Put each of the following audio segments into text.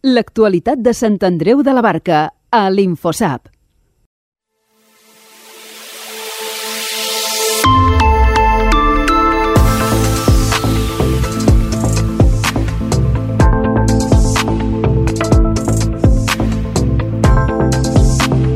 L'actualitat de Sant Andreu de la Barca, a l'Infosap.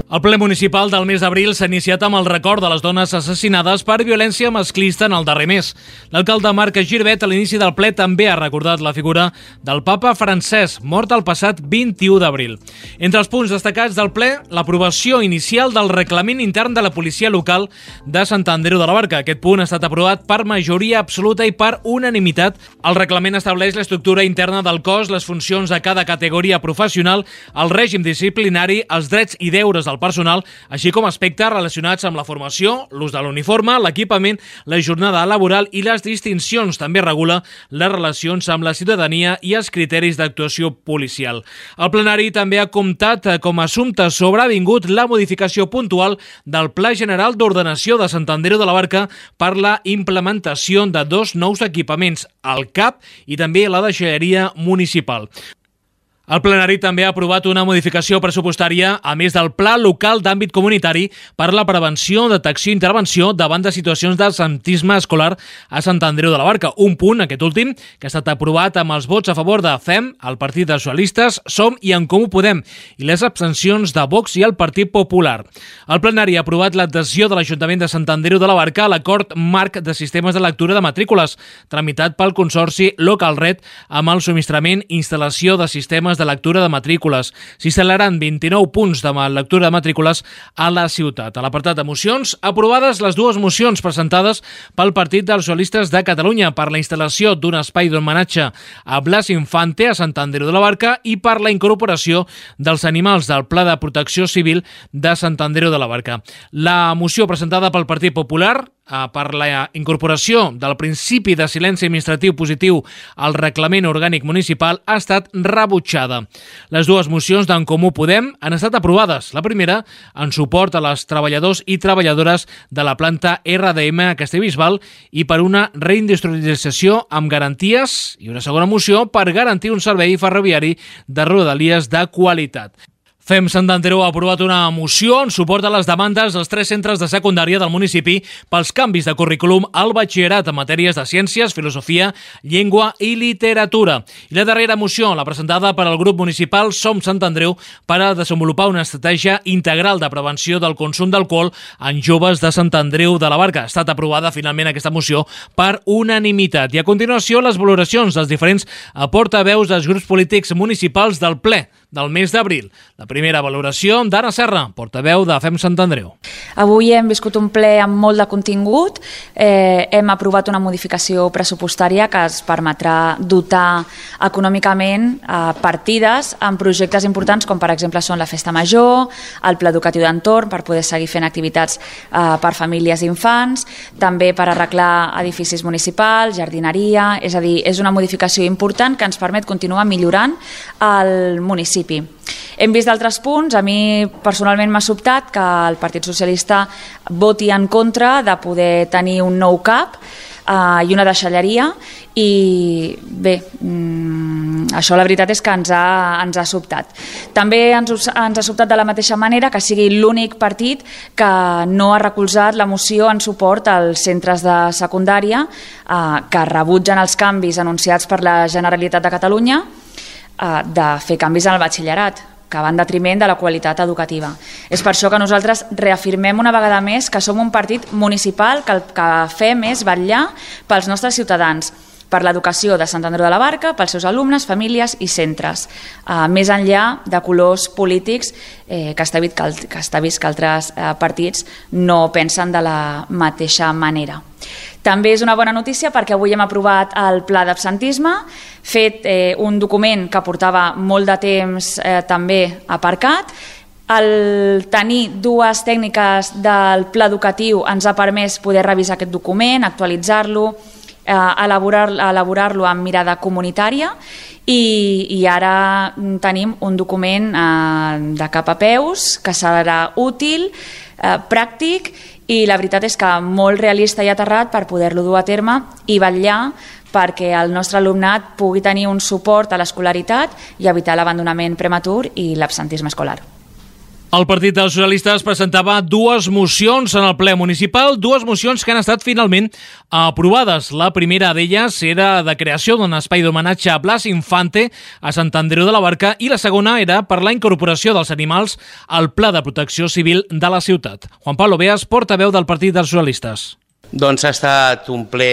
El ple municipal del mes d'abril s'ha iniciat amb el record de les dones assassinades per violència masclista en el darrer mes. L'alcalde Marc Girbet, a l'inici del ple, també ha recordat la figura del papa Francesc, mort el passat 21 d'abril. Entre els punts destacats del ple, l'aprovació inicial del reglament intern de la policia local de Sant Andreu de la Barca. Aquest punt ha estat aprovat per majoria absoluta i per unanimitat. El reglament estableix l'estructura interna del cos, les funcions de cada categoria professional, el règim disciplinari, els drets i deures del personal, així com aspectes relacionats amb la formació, l'ús de l'uniforme, l'equipament, la jornada laboral i les distincions. També regula les relacions amb la ciutadania i els criteris d'actuació policial. El plenari també ha comptat com a assumpte sobrevingut la modificació puntual del Pla General d'Ordenació de Sant Andreu de la Barca per la implementació de 2 nous equipaments, el CAP i també la deixalleria municipal. El plenari també ha aprovat una modificació pressupostària, a més del Pla Local d'Àmbit Comunitari per la prevenció, detecció i intervenció davant de situacions d'absentisme escolar a Sant Andreu de la Barca. Un punt, aquest últim, que ha estat aprovat amb els vots a favor de FEM, el Partit dels Socialistes, SOM i En Comú Podem, i les abstencions de Vox i el Partit Popular. El plenari ha aprovat l'adhesió de l'Ajuntament de Sant Andreu de la Barca a l'acord marc de sistemes de lectura de matrícules, tramitat pel Consorci Localred amb el subministrament i instal·lació de sistemes de lectura de matrícules. S'instal·laran 29 punts de lectura de matrícules a la ciutat. A l'apartat de mocions, aprovades les 2 mocions presentades pel Partit dels Socialistes de Catalunya per la instal·lació d'un espai d'homenatge a Blas Infante a Sant Andreu de la Barca i per la incorporació dels animals del Pla de Protecció Civil de Sant Andreu de la Barca. La moció presentada pel Partit Popular per la incorporació del principi de silenci administratiu positiu al reglament orgànic municipal ha estat rebutjada. Les 2 mocions d'En Comú Podem han estat aprovades. La primera en suport a les treballadors i treballadores de la planta RDM a Castellbisbal i per una reindustrialització amb garanties, i una segona moció per garantir un servei ferroviari de rodalies de qualitat. FEM Sant Andreu ha aprovat una moció en suport a les demandes dels 3 centres de secundària del municipi pels canvis de currículum al batxillerat en matèries de ciències, filosofia, llengua i literatura. I la darrera moció, la presentada per al grup municipal Som Sant Andreu per a desenvolupar una estratègia integral de prevenció del consum d'alcohol en joves de Sant Andreu de la Barca. Ha estat aprovada finalment aquesta moció per unanimitat. I a continuació, les valoracions dels diferents portaveus dels grups polítics municipals del ple del mes d'abril. La primera valoració d'Anna Serra, portaveu de FEM Sant Andreu. Avui hem viscut un ple amb molt de contingut. Hem aprovat una modificació pressupostària que es permetrà dotar econòmicament partides en projectes importants com per exemple són la Festa Major, el Pla Educatiu d'Entorn per poder seguir fent activitats per famílies i infants, també per arreglar edificis municipals, jardineria, és a dir, és una modificació important que ens permet continuar millorant el municipi. Hem vist d'altres punts. A mi personalment m'ha sobtat que el Partit Socialista voti en contra de poder tenir un nou CAP i una deixalleria i bé, això la veritat és que ens ha sobtat. També ens ha sobtat de la mateixa manera que sigui l'únic partit que no ha recolzat la moció en suport als centres de secundària que rebutgen els canvis anunciats per la Generalitat de Catalunya de fer canvis en el batxillerat, que va en detriment de la qualitat educativa. És per això que nosaltres reafirmem una vegada més que som un partit municipal que el que fem és vetllar pels nostres ciutadans, per l'educació de Sant Andreu de la Barca, pels seus alumnes, famílies i centres, més enllà de colors polítics que està vist que altres partits no pensen de la mateixa manera. També és una bona notícia perquè avui hem aprovat el pla d'absentisme, fet un document que portava molt de temps també aparcat. El tenir 2 tècniques del pla educatiu ens ha permès poder revisar aquest document, actualitzar-lo, elaborar-lo amb mirada comunitària i ara tenim un document de cap a peus que serà útil, pràctic i la veritat és que molt realista i aterrat per poder-lo dur a terme i vetllar perquè el nostre alumnat pugui tenir un suport a l'escolaritat i evitar l'abandonament prematur i l'absentisme escolar. El Partit dels Socialistes presentava dues mocions en el ple municipal, dues mocions que han estat finalment aprovades. La primera d'elles era de creació d'un espai d'homenatge a Blas Infante a Sant Andreu de la Barca i la segona era per la incorporació dels animals al Pla de Protecció Civil de la ciutat. Juan Pablo Beas, portaveu del Partit dels Socialistes. Doncs ha estat un ple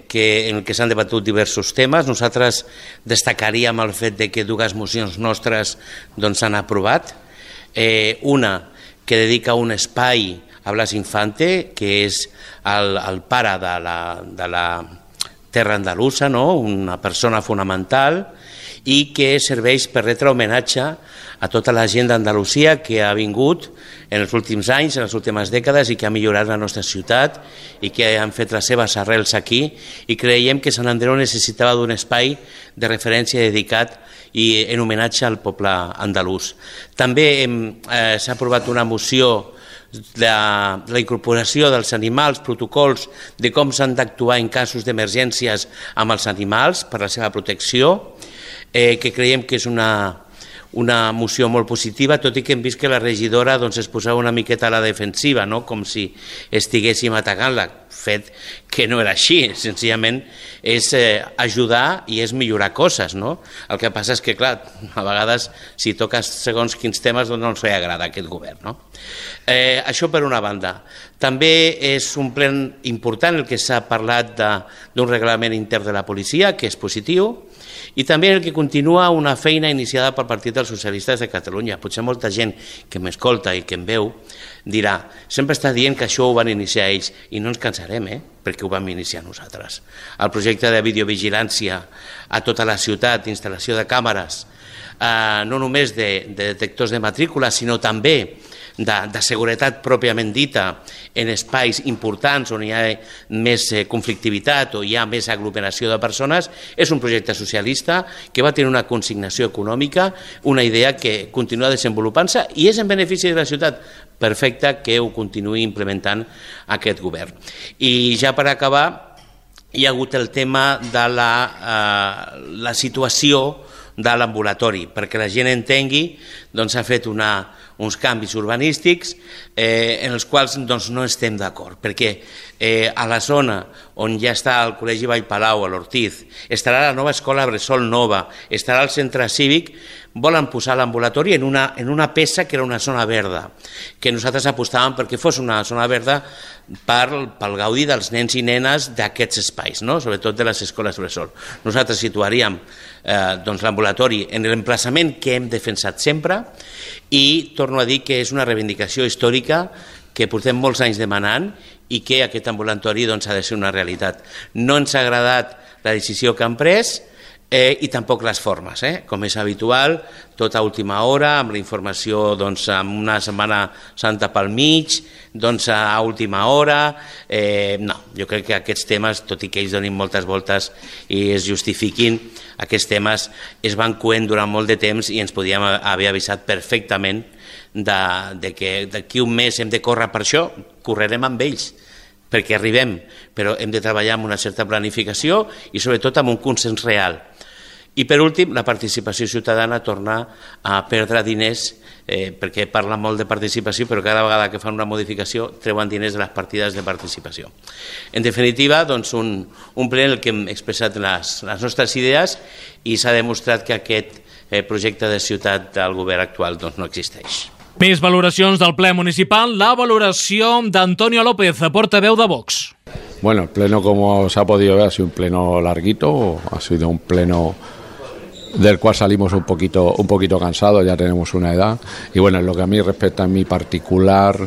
en què s'han debatut diversos temes. Nosaltres destacaríem el fet de que dues mocions nostres s'han aprovat. Una que dedica un espai a Blas Infante, que és el pare de la terra andalusa, no? Una persona fonamental, i que serveix per retre homenatge a tota la gent d'Andalusia que ha vingut en els últims anys, en les últimes dècades, i que ha millorat la nostra ciutat i que han fet les seves arrels aquí, i creiem que Sant Andreu necessitava d'un espai de referència dedicat i en homenatge al poble andalús. També s'ha aprovat una moció de la incorporació dels animals, protocols de com s'han d'actuar en casos d'emergències amb els animals per la seva protecció, que creiem que és una moció molt positiva, tot i que hem vist que la regidora es posava una miqueta a la defensiva, no? Com si estiguéssim atacant-la, fet que no era així, senzillament és ajudar i és millorar coses, no? El que passa és que, clar, a vegades si toques segons quins temes no ens agrada aquest govern, no? Això per una banda. També és un ple important el que s'ha parlat d'un reglament intern de la policia, que és positiu, i també el que continua una feina iniciada pel Partit dels Socialistes de Catalunya. Potser molta gent que m'escolta i que em veu dirà, sempre està dient que això ho van iniciar ells, i no ens cansarem, perquè ho vam iniciar nosaltres. El projecte de videovigilància a tota la ciutat, instal·lació de càmeres, no només de detectors de matrícula, sinó també de seguretat pròpiament dita en espais importants on hi ha més conflictivitat o hi ha més aglomeració de persones, és un projecte socialista que va tenir una consignació econòmica, una idea que continua desenvolupant-se i és en benefici de la ciutat. Perfecte que ho continuï implementant aquest govern. I ja per acabar, hi ha hagut el tema de la situació de l'ambulatori, perquè la gent entengui, s'ha fet uns canvis urbanístics en els quals no estem d'acord, perquè a la zona on ja està el Col·legi Vallpalau, a l'Ortiz, estarà la nova escola Bressol nova, estarà el centre cívic, volen posar l'ambulatori en una peça que era una zona verda, que nosaltres apostàvem perquè fos una zona verda pel gaudi dels nens i nenes d'aquests espais, sobretot de les escoles Bressol. Nosaltres situaríem l'ambulatori en l'emplaçament que hem defensat sempre i torno a dir que és una reivindicació històrica que portem molts anys demanant i que aquest ambulatori ha de ser una realitat. No ens ha agradat la decisió que han pres i tampoc les formes, com és habitual, tot a última hora, amb la informació amb una Setmana Santa pel mig, a última hora. No, jo crec que aquests temes, tot i que ells donin moltes voltes i es justifiquin, aquests temes es van coent durant molt de temps i ens podíem haver avisat perfectament que d'aquí un mes hem de córrer per això, correrem amb ells, perquè arribem, però hem de treballar amb una certa planificació i sobretot amb un consens real. I per últim, la participació ciutadana torna a perdre diners, perquè parla molt de participació, però cada vegada que fan una modificació treuen diners de les partides de participació. En definitiva, un ple en el que hem expressat les nostres idees i s'ha demostrat que aquest projecte de ciutat del govern actual no existeix. Més valoracions del ple municipal, la valoració d'Antonio López, portaveu de Vox. Bueno, el pleno, como se ha podido ver, ha sido un pleno larguito, ha sido un pleno del cual salimos un poquito cansados, ya tenemos una edad, y bueno, en lo que a mí respecta en mi particular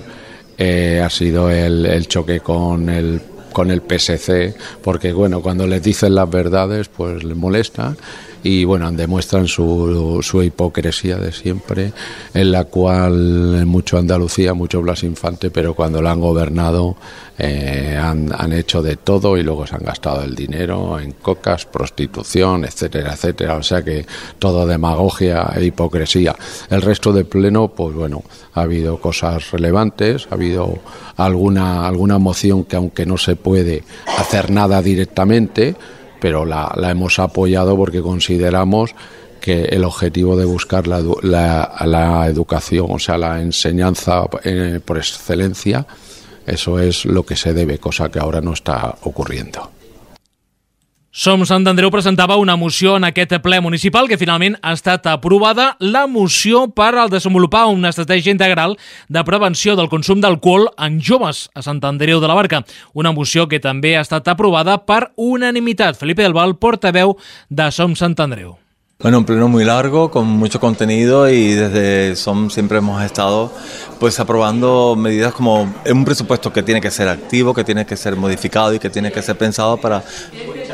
ha sido el choque con el PSC, porque bueno, cuando les dicen las verdades pues les molesta y bueno, demuestran su hipocresía de siempre, en la cual mucho Andalucía, mucho Blas Infante, pero cuando la han gobernado han hecho de todo y luego se han gastado el dinero en cocas, prostitución, etcétera, etcétera, o sea que todo demagogia e hipocresía. El resto del pleno, pues bueno, ha habido cosas relevantes, ha habido alguna moción que aunque no se puede hacer nada directamente, pero la hemos apoyado porque consideramos que el objetivo de buscar la educación, o sea, la enseñanza por excelencia, eso es lo que se debe, cosa que ahora no està ocurriendo. Som Sant Andreu presentava una moció en aquest ple municipal que finalment ha estat aprovada, la moció per al desenvolupar una estratègia integral de prevenció del consum d'alcohol en joves a Sant Andreu de la Barca. Una moció que també ha estat aprovada per unanimitat. Felipe del Val, portaveu de Som Sant Andreu. Bueno, un pleno muy largo, con mucho contenido, y desde SOM siempre hemos estado pues aprobando medidas como un presupuesto que tiene que ser activo, que tiene que ser modificado y que tiene que ser pensado para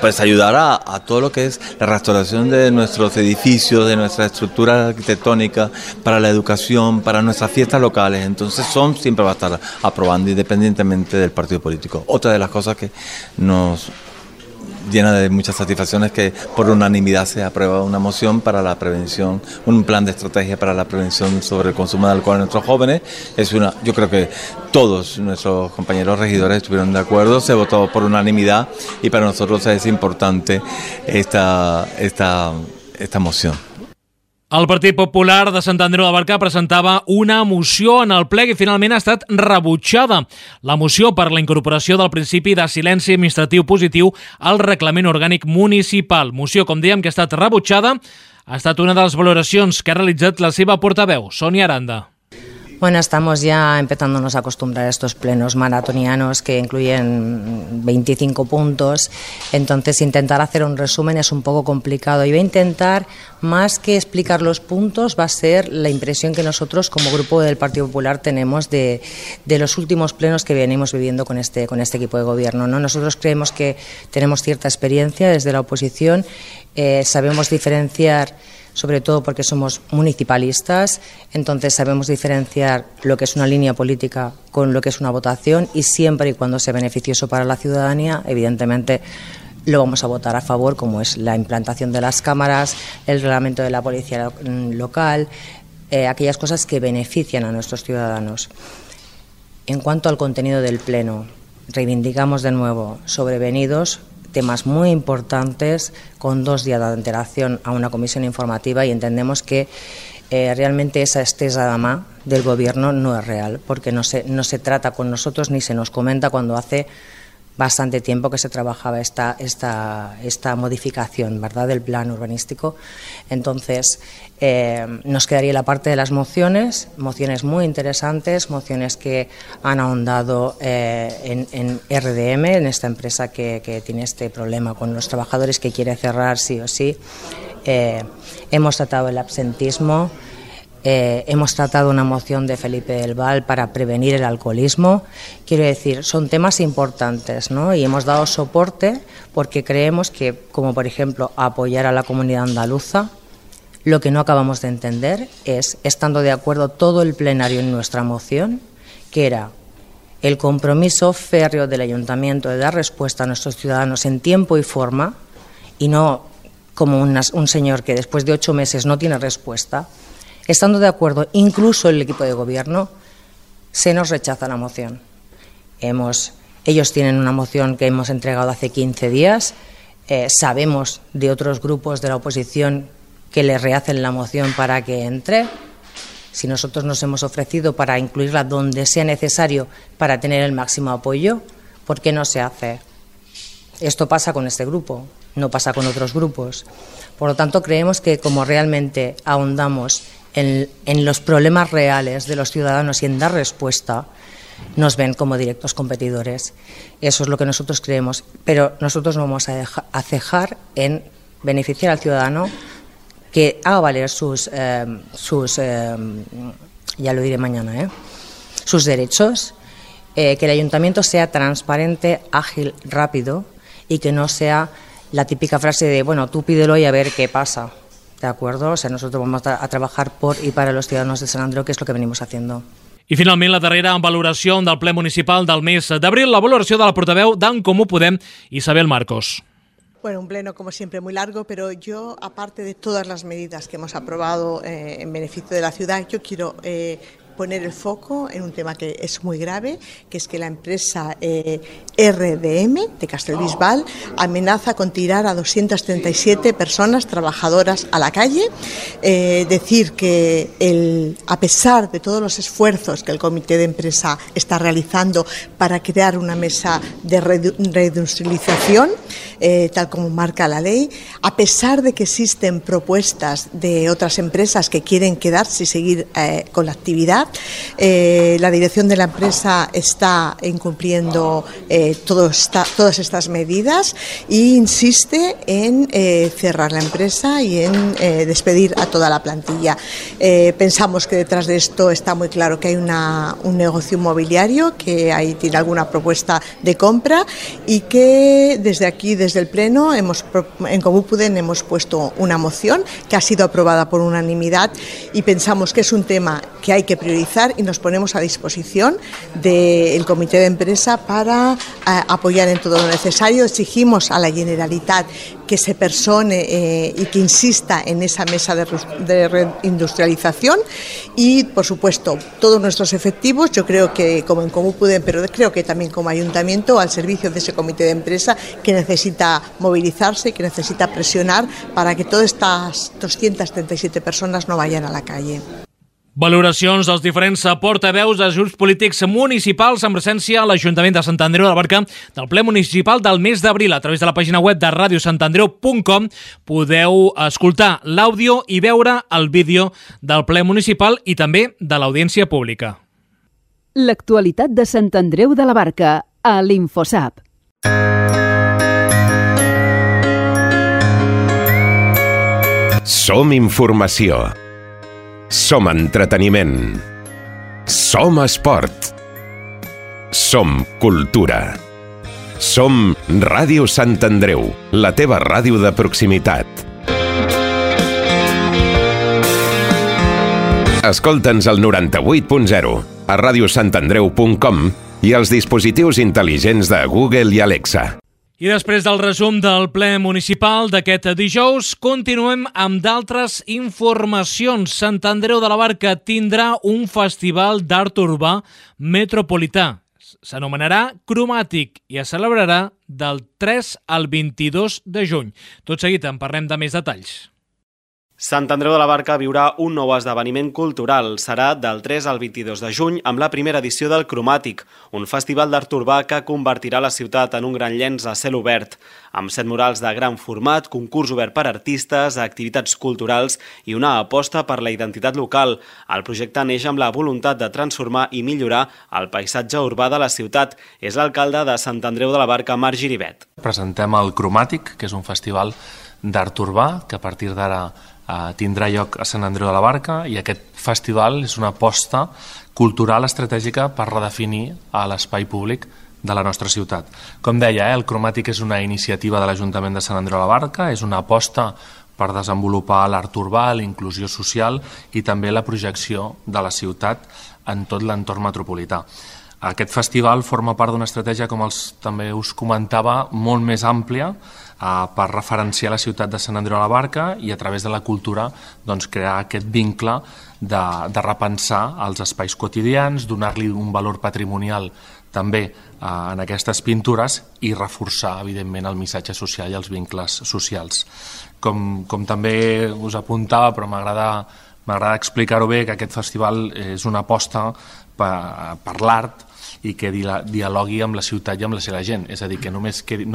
pues ayudar a todo lo que es la restauración de nuestros edificios, de nuestra estructura arquitectónica, para la educación, para nuestras fiestas locales. Entonces SOM siempre va a estar aprobando independientemente del partido político. Otra de las cosas que nos llena de muchas satisfacciones que por unanimidad se aprueba una moción para la prevención, un plan de estrategia para la prevención sobre el consumo de alcohol en nuestros jóvenes. Yo creo que todos nuestros compañeros regidores estuvieron de acuerdo, se votó por unanimidad y para nosotros es importante esta moción. El Partit Popular de Sant Andreu de la Barca presentava una moció en el ple que finalment ha estat rebutjada. La moció per la incorporació del principi de silenci administratiu positiu al reglament orgànic municipal. Moció, com dèiem, que ha estat rebutjada, ha estat una de les valoracions que ha realitzat la seva portaveu, Sònia Aranda. Bueno, estamos ya empezándonos a acostumbrar a estos plenos maratonianos que incluyen 25 puntos, entonces intentar hacer un resumen es un poco complicado. Y voy a intentar, más que explicar los puntos, va a ser la impresión que nosotros como grupo del Partido Popular tenemos de los últimos plenos que venimos viviendo con este equipo de gobierno, ¿no? Nosotros creemos que tenemos cierta experiencia desde la oposición, sabemos diferenciar, sobre todo porque somos municipalistas, entonces sabemos diferenciar lo que es una línea política con lo que es una votación, y siempre y cuando sea beneficioso para la ciudadanía, evidentemente lo vamos a votar a favor, como es la implantación de las cámaras, el reglamento de la policía local, aquellas cosas que benefician a nuestros ciudadanos. En cuanto al contenido del pleno, reivindicamos de nuevo sobrevenidos temas muy importantes con 2 días de antelación a una comisión informativa, y entendemos que realmente esa estesa de mà del gobierno no es real, porque no se trata con nosotros ni se nos comenta cuando hace bastante tiempo que se trabajaba esta modificación, ¿verdad?, del plan urbanístico. Entonces, nos quedaría la parte de las mociones muy interesantes, mociones que han ahondado en RDM, en esta empresa que tiene este problema con los trabajadores, que quiere cerrar sí o sí. Hemos tratado el absentismo. Hemos tratado una moción de Felipe del Val para prevenir el alcoholismo. Quiero decir, son temas importantes, ¿no? Y hemos dado soporte porque creemos que, como por ejemplo, apoyar a la comunidad andaluza, lo que no acabamos de entender es, estando de acuerdo todo el plenario en nuestra moción, que era el compromiso férreo del ayuntamiento de dar respuesta a nuestros ciudadanos en tiempo y forma, y no como un señor que después de 8 meses no tiene respuesta. Estando de acuerdo incluso el equipo de gobierno, se nos rechaza la moción. Ellos tienen una moción que hemos entregado hace 15 días, sabemos de otros grupos de la oposición que le rehacen la moción para que entre. Si nosotros nos hemos ofrecido para incluirla donde sea necesario para tener el máximo apoyo, ¿por qué no se hace? Esto pasa con este grupo, no pasa con otros grupos. Por lo tanto, creemos que como realmente ahondamos en los problemas reales de los ciudadanos y en dar respuesta, nos ven como directos competidores. Eso es lo que nosotros creemos, pero nosotros no vamos a cejar en beneficiar al ciudadano, que haga valer sus ya lo diré mañana, sus derechos, que el ayuntamiento sea transparente, ágil, rápido, y que no sea la típica frase de, bueno, tú pídelo y a ver qué pasa. ¿De acuerdo? O sea, nosotros vamos a trabajar por y para los ciudadanos de Sant Andreu, que es lo que venimos haciendo. I finalment la darrera valoració del ple municipal del mes d'abril, la valoració de la portaveu d'en Comú Podem, Isabel Marcos. Bueno, un pleno como siempre muy largo, pero yo, aparte de todas las medidas que hemos aprobado en beneficio de la ciudad, yo quiero poner el foco en un tema que es muy grave, que es que la empresa RDM de Castellbisbal amenaza con tirar a 237 personas trabajadoras a la calle. Decir que a pesar de todos los esfuerzos que el comité de empresa está realizando para crear una mesa de reindustrialización, tal como marca la ley, a pesar de que existen propuestas de otras empresas que quieren quedarse y seguir con la actividad, la dirección de la empresa está incumpliendo todas estas medidas e insiste en cerrar la empresa y en despedir a toda la plantilla. Pensamos que detrás de esto está muy claro que hay un negocio inmobiliario, que ahí tiene alguna propuesta de compra y que desde aquí, desde el Pleno, en Comú Podem hemos puesto una moción que ha sido aprobada por unanimidad y pensamos que es un tema que hay que priorizar y nos ponemos a disposición del comité de empresa para apoyar en todo lo necesario. Exigimos a la Generalitat que se persone y que insista en esa mesa de reindustrialización y, por supuesto, todos nuestros efectivos, yo creo que como en Comú Podem, pero creo que también como ayuntamiento, al servicio de ese comité de empresa que necesita movilizarse, que necesita presionar para que todas estas 237 persones no vayan a la calle. Valoracions dels diferents portaveus dels grups polítics municipals en presència a l'Ajuntament de Sant Andreu de la Barca del ple municipal del mes d'abril. A través de la pàgina web de radiosantandreu.com podeu escoltar l'àudio i veure el vídeo del ple municipal i també de l'audiència pública. L'actualitat de Sant Andreu de la Barca a l'Infosap. Som informació. Som entreteniment. Som esport. Som cultura. Som Ràdio Sant Andreu, la teva ràdio de proximitat. Escolta'ns al 98.0, a radiosantandreu.com i als dispositius intel·ligents de Google i Alexa. I després del resum del ple municipal d'aquest dijous, continuem amb d'altres informacions. Sant Andreu de la Barca tindrà un festival d'art urbà metropolità. S'anomenarà Cromàtic i es celebrarà del 3 al 22 de juny. Tot seguit en parlem de més detalls. Sant Andreu de la Barca viurà un nou esdeveniment cultural. Serà del 3 al 22 de juny amb la primera edició del Cromàtic, un festival d'art urbà que convertirà la ciutat en un gran llenç a cel obert, amb 7 murals de gran format, concurs obert per artistes, activitats culturals i una aposta per la identitat local. El projecte neix amb la voluntat de transformar i millorar el paisatge urbà de la ciutat. És l'alcalde de Sant Andreu de la Barca, Marc Giribet. Presentem el Cromàtic, que és un festival d'art urbà que a partir d'ara tindrà lloc a Sant Andreu de la Barca, i aquest festival és una aposta cultural estratègica per redefinir l'espai públic de la nostra ciutat. Com deia, el Cromàtic és una iniciativa de l'Ajuntament de Sant Andreu de la Barca, és una aposta per desenvolupar l'art urbà, la inclusió social i també la projecció de la ciutat en tot l'entorn metropolità. Aquest festival forma part d'una estratègia, com també us comentava, molt més àmplia per referenciar la ciutat de Sant Andreu de la Barca i a través de la cultura crear aquest vincle de repensar els espais quotidians, donar-li un valor patrimonial també en aquestes pintures i reforçar, evidentment, el missatge social i els vincles socials. Com també us apuntava, però m'agrada explicar-ho bé, que aquest festival és una aposta per l'art i que dialogui amb la ciutat i amb la seva gent. És a dir, que no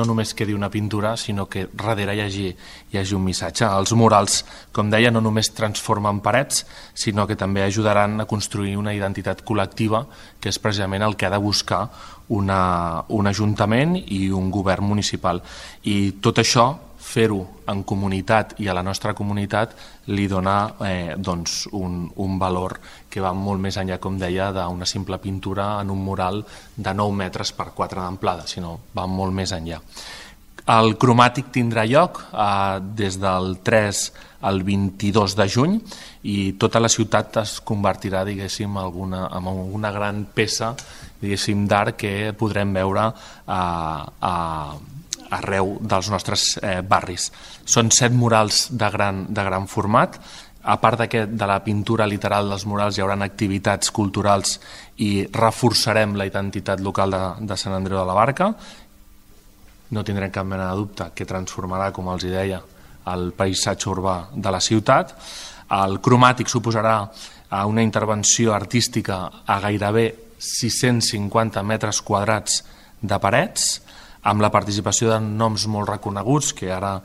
només quedi una pintura, sinó que darrere hi hagi un missatge. Els murals, com deia, no només transformen parets, sinó que també ajudaran a construir una identitat col·lectiva, que és precisament el que ha de buscar un ajuntament i un govern municipal. I tot això, fer-ho en comunitat i a la nostra comunitat, li dona un valor que va molt més enllà, com deia, d'una simple pintura en un mural de 9 metres per 4 d'amplada, sinó va molt més enllà. El Cromàtic tindrà lloc des del 3 al 22 de juny i tota la ciutat es convertirà, diguéssim, en una gran peça, diguéssim, d'art que podrem veure arreu dels nostres barris. Són 7 murals de gran format, a part de la pintura literal dels murals, hi haurà activitats culturals i reforçarem la identitat local de Sant Andreu de la Barca. No tindrem cap mena de dubte que transformarà, com els deia, el paisatge urbà de la ciutat. El cromàtic suposarà una intervenció artística a gairebé 650 metres quadrats de parets, amb la participació de noms molt reconeguts, que ara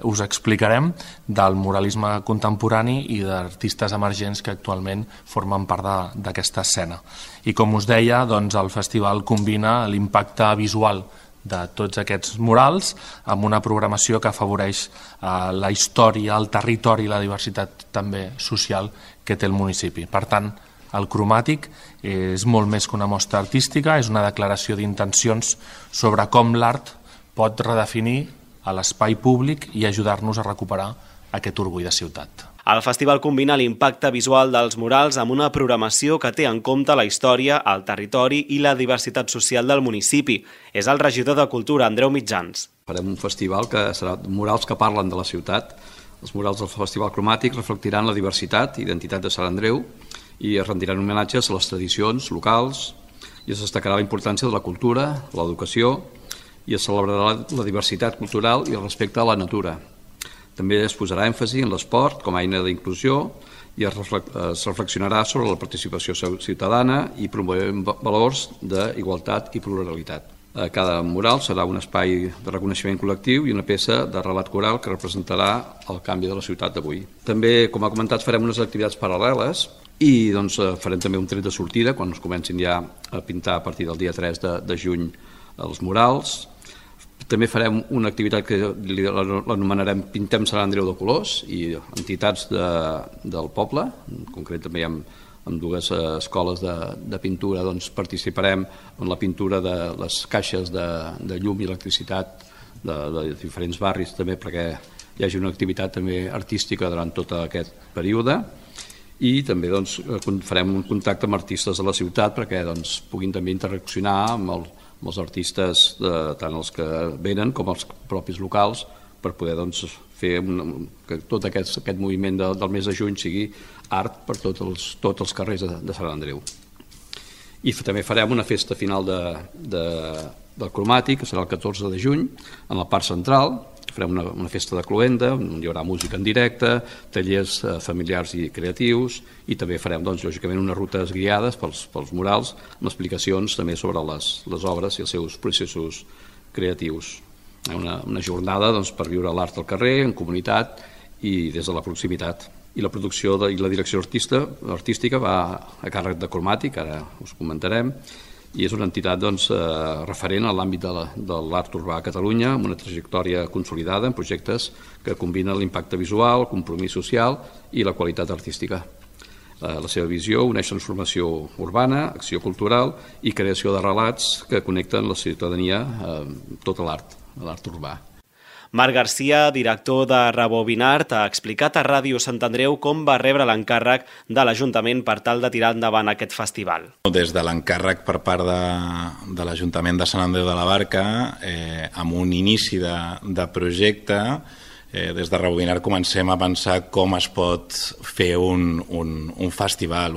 us explicarem, del muralisme contemporani i d'artistes emergents que actualment formen part d'aquesta escena. I com us deia, el festival combina l'impacte visual de tots aquests murals amb una programació que afavoreix la història, el territori i la diversitat també social que té el municipi. Per tant, el cromàtic és molt més que una mostra artística, és una declaració d'intencions sobre com l'art pot redefinir a l'espai públic i ajudar-nos a recuperar aquest orgull de ciutat. El festival combina l'impacte visual dels murals amb una programació que té en compte la història, el territori i la diversitat social del municipi. És el regidor de Cultura, Andreu Mitjans. Farem un festival que serà murals que parlen de la ciutat. Els murals del Festival Cromàtic reflectiran la diversitat i identitat de Sant Andreu i es rendiran homenatges a les tradicions locals i es destacarà la importància de la cultura, l'educació i es celebrarà la diversitat cultural i el respecte a la natura. També es posarà èmfasi en l'esport com a eina d'inclusió i es reflexionarà sobre la participació ciutadana i promourem valors d'igualtat i pluralitat. Cada mural serà un espai de reconeixement col·lectiu i una peça de relat coral que representarà el canvi de la ciutat d'avui. També, com ha comentat, farem unes activitats paral·leles i farem també un tret de sortida quan es comencin ja a pintar a partir del dia 3 de juny els murals. També farem una activitat que l'anomenarem Pintem Sant Andreu de colors i entitats del poble, en concret també hi ha amb dues escoles de pintura participarem en la pintura de les caixes de llum i electricitat de diferents barris també perquè hi hagi una activitat també artística durant tot aquest període i també farem un contacte amb artistes de la ciutat perquè puguin també interaccionar amb els artistes, tant els que venen com els propis locals, per poder fer que tot aquest moviment del mes de juny sigui art per tots els carrers de Sant Andreu. I també farem una festa final del cromàtic, que serà el 14 de juny, en la part central. Farem una festa de cloenda, on hi haurà música en directe, tallers familiars i creatius, i també farem, lògicament, unes rutes guiades pels murals, amb explicacions també sobre les obres i els seus processos creatius. Una jornada per viure l'art al carrer, en comunitat i des de la proximitat. I la producció i la direcció artística va a càrrec de Cromàtic, ara us comentarem, i és una entitat referent a l'àmbit de l'art urbà a Catalunya, amb una trajectòria consolidada en projectes que combinen l'impacte visual, el compromís social i la qualitat artística. La seva visió uneix transformació urbana, acció cultural i creació de relats que connecten la ciutadania amb tot l'art urbà. Marc Garcia, director de Rebobinart, ha explicat a Ràdio Sant Andreu com va rebre l'encàrrec de l'Ajuntament per tal de tirar endavant aquest festival. Des de l'encàrrec per part de l'Ajuntament de Sant Andreu de la Barca, amb un inici de projecte, des de Rebobinart comencem a pensar com es pot fer un festival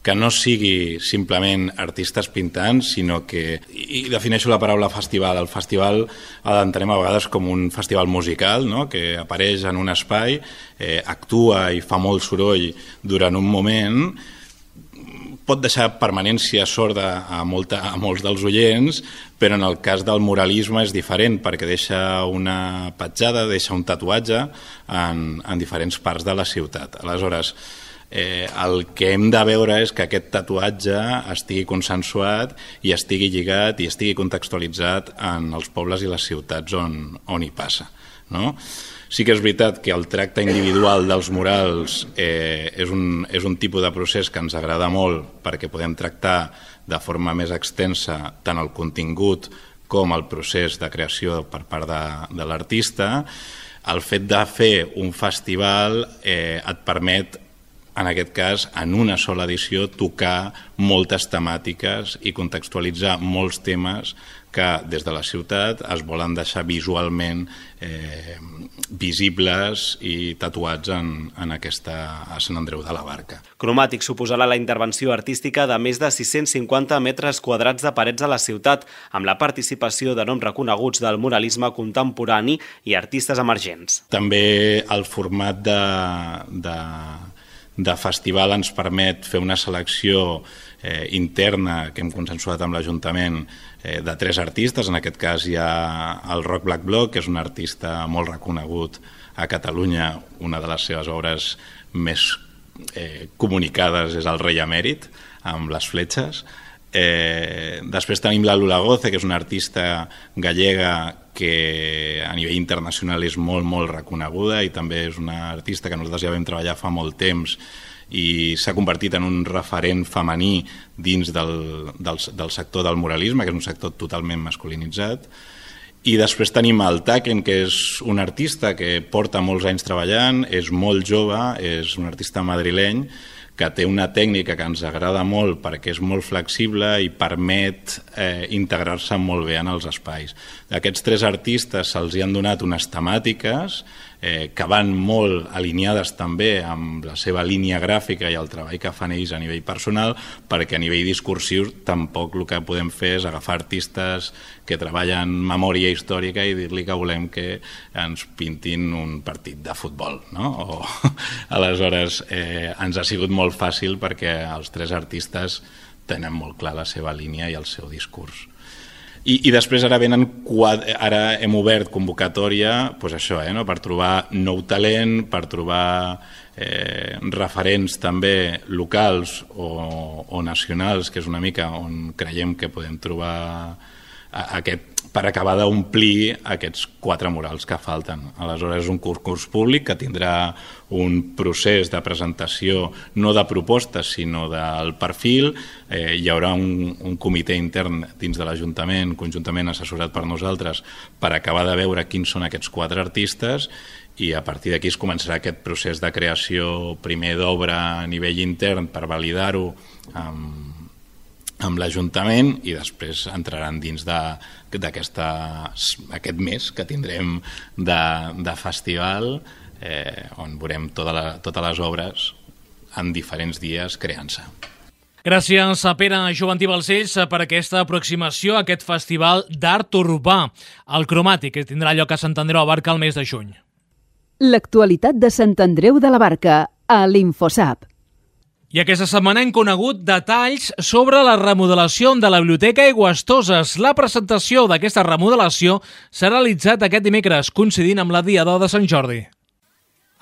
que no sigui simplement artistes pintant, sinó que, i defineixo la paraula festival, el festival l'entenem a vegades com un festival musical, no? Que apareix en un espai, actua i fa molt soroll durant un moment, pot deixar permanència sorda a molts dels oients, però en el cas del muralisme és diferent perquè deixa una petjada, deixa un tatuatge en diferents parts de la ciutat. Aleshores, el que hem de veure és que aquest tatuatge estigui consensuat i estigui lligat i estigui contextualitzat en els pobles i les ciutats on hi passa, no? Sí que és veritat que el tracte individual dels murals és un tipus de procés que ens agrada molt perquè podem tractar de forma més extensa tant el contingut com el procés de creació per part de l'artista. El fet de fer un festival et permet, en aquest cas, en una sola edició, tocar moltes temàtiques i contextualitzar molts temes que des de la ciutat es volen deixar visualment visibles i tatuats en aquesta a Sant Andreu de la Barca. Cromàtic suposarà la intervenció artística de més de 650 metres quadrats de parets a la ciutat, amb la participació de noms reconeguts del muralisme contemporani i artistes emergents. També el format de festival ens permet fer una selecció interna que hem consensuat amb l'Ajuntament de 3 artistes. En aquest cas hi ha el Roc Black Bloc, que és un artista molt reconegut a Catalunya. Una de les seves obres més comunicades és el Rei Emèrit, amb les fletxes. Després tenim la Lula Goce, que és una artista gallega que a nivell internacional és molt, molt reconeguda i també és una artista que nosaltres ja vam treballar fa molt temps i s'ha convertit en un referent femení dins del sector del muralisme, que és un sector totalment masculinitzat. I després tenim el Taken, que és un artista que porta molts anys treballant, és molt jove, és un artista madrileny, que té una tècnica que ens agrada molt perquè és molt flexible i permet integrar-se molt bé en els espais. Aquests 3 artistes se'ls han donat unes temàtiques que van molt alineades també amb la seva línia gràfica i el treball que fan ells a nivell personal, perquè a nivell discursiu tampoc el que podem fer és agafar artistes que treballen memòria històrica i dir-li que volem que ens pintin un partit de futbol, no? Aleshores, ens ha sigut molt fàcil perquè els 3 artistes tenen molt clar la seva línia i el seu discurs. I després ara hem obert convocatòria per trobar nou talent, per trobar referents també locals o nacionals, que és una mica on creiem que podem trobar per acabar d'omplir aquests 4 murals que falten. Aleshores és un concurs públic que tindrà un procés de presentació no de propostes sinó del perfil. Hi haurà un comitè intern dins de l'Ajuntament, conjuntament assessorat per nosaltres, per acabar de veure quins són aquests 4 artistes i a partir d'aquí es començarà aquest procés de creació primer d'obra a nivell intern per validar-ho amb l'Ajuntament i després entraran dins d'aquest mes que tindrem de festival on veurem totes les obres en diferents dies creant-se. Gràcies a Pere Joventí Balcells per aquesta aproximació a aquest festival d'art urbà, el Cromàtic, que tindrà lloc a Sant Andreu de la Barca el mes de juny. L'actualitat de Sant Andreu de la Barca a l'Infosap. I aquesta setmana hem conegut detalls sobre la remodelació de la Biblioteca Aigüestoses. La presentació d'aquesta remodelació s'ha realitzat aquest dimecres, coincidint amb la Diada de Sant Jordi.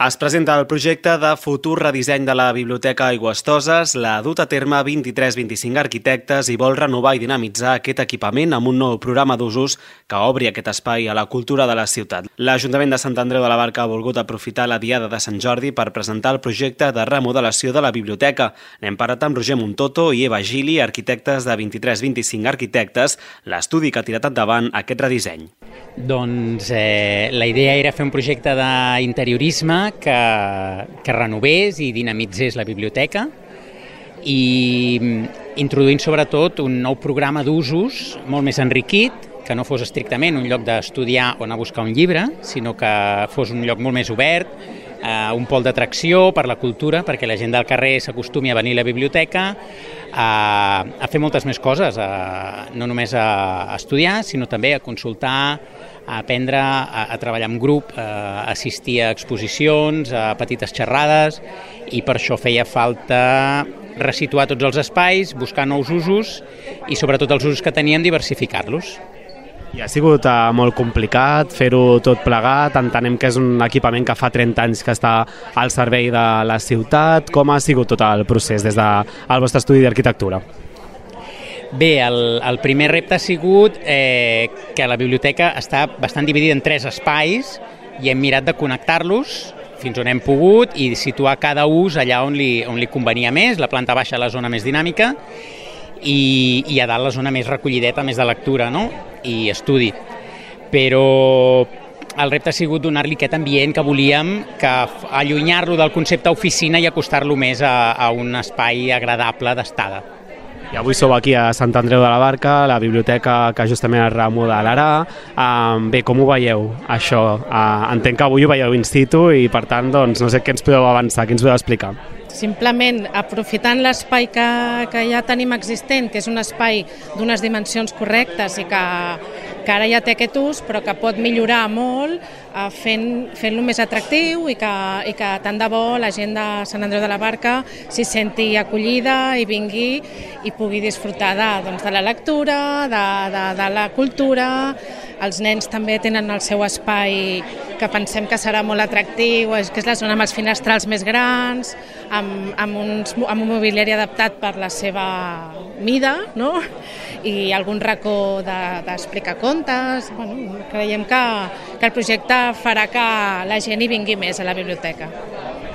Es presenta el projecte de futur redisseny de la Biblioteca Aigüestoses. L'ha dut a terme 23-25 arquitectes i vol renovar i dinamitzar aquest equipament amb un nou programa d'usos que obri aquest espai a la cultura de la ciutat. L'Ajuntament de Sant Andreu de la Barca ha volgut aprofitar la Diada de Sant Jordi per presentar el projecte de remodelació de la biblioteca. N'hem parlat amb Roger Montoto i Eva Gili, arquitectes de 23-25 arquitectes, l'estudi que ha tirat endavant aquest redisseny. Doncs la idea era fer un projecte d'interiorisme que renovés i dinamitzés la biblioteca i introduint sobretot un nou programa d'usos molt més enriquit, que no fos estrictament un lloc d'estudiar o anar a buscar un llibre, sinó que fos un lloc molt més obert, un pol d'atracció per la cultura, perquè la gent del carrer s'acostumi a venir a la biblioteca, a fer moltes més coses, no només a estudiar, sinó també a consultar, a aprendre, a treballar en grup, a assistir a exposicions, a petites xerrades, i per això feia falta resituar tots els espais, buscar nous usos i sobretot els usos que teníem diversificar-los. I ha sigut molt complicat fer-ho tot plegat, entenem que és un equipament que fa 30 anys que està al servei de la ciutat. Com ha sigut tot el procés des del vostre estudi d'arquitectura? Bé, el primer repte ha sigut que la biblioteca està bastant dividida en 3 espais i hem mirat de connectar-los fins on hem pogut i situar cada ús allà on li convenia més, la planta baixa la zona més dinàmica i a dalt la zona més recollideta, més de lectura, no? I estudi. Però el repte ha sigut donar-li aquest ambient que volíem, que allunyar-lo del concepte oficina i acostar-lo més a un espai agradable d'estada. I avui sou aquí a Sant Andreu de la Barca, la biblioteca que justament es remodelarà. Bé, com ho veieu, això? Entenc que avui ho veieu in situ i, per tant, doncs, no sé què ens podeu avançar, què ens podeu explicar. Simplement aprofitant l'espai que ja tenim existent, que és un espai d'unes dimensions correctes i que ara ja té aquest ús, però que pot millorar molt fent-lo més atractiu i que tant de bo la gent de Sant Andreu de la Barca s'hi senti acollida i vingui i pugui disfrutar de la lectura, de la cultura. Els nens també tenen el seu espai que pensem que serà molt atractiu, que és la zona amb els finestrals més grans, amb un mobiliari adaptat per la seva mida, no? I algun racó d'explicar contes. Bueno, creiem que el projecte farà que la gent hi vingui més a la biblioteca.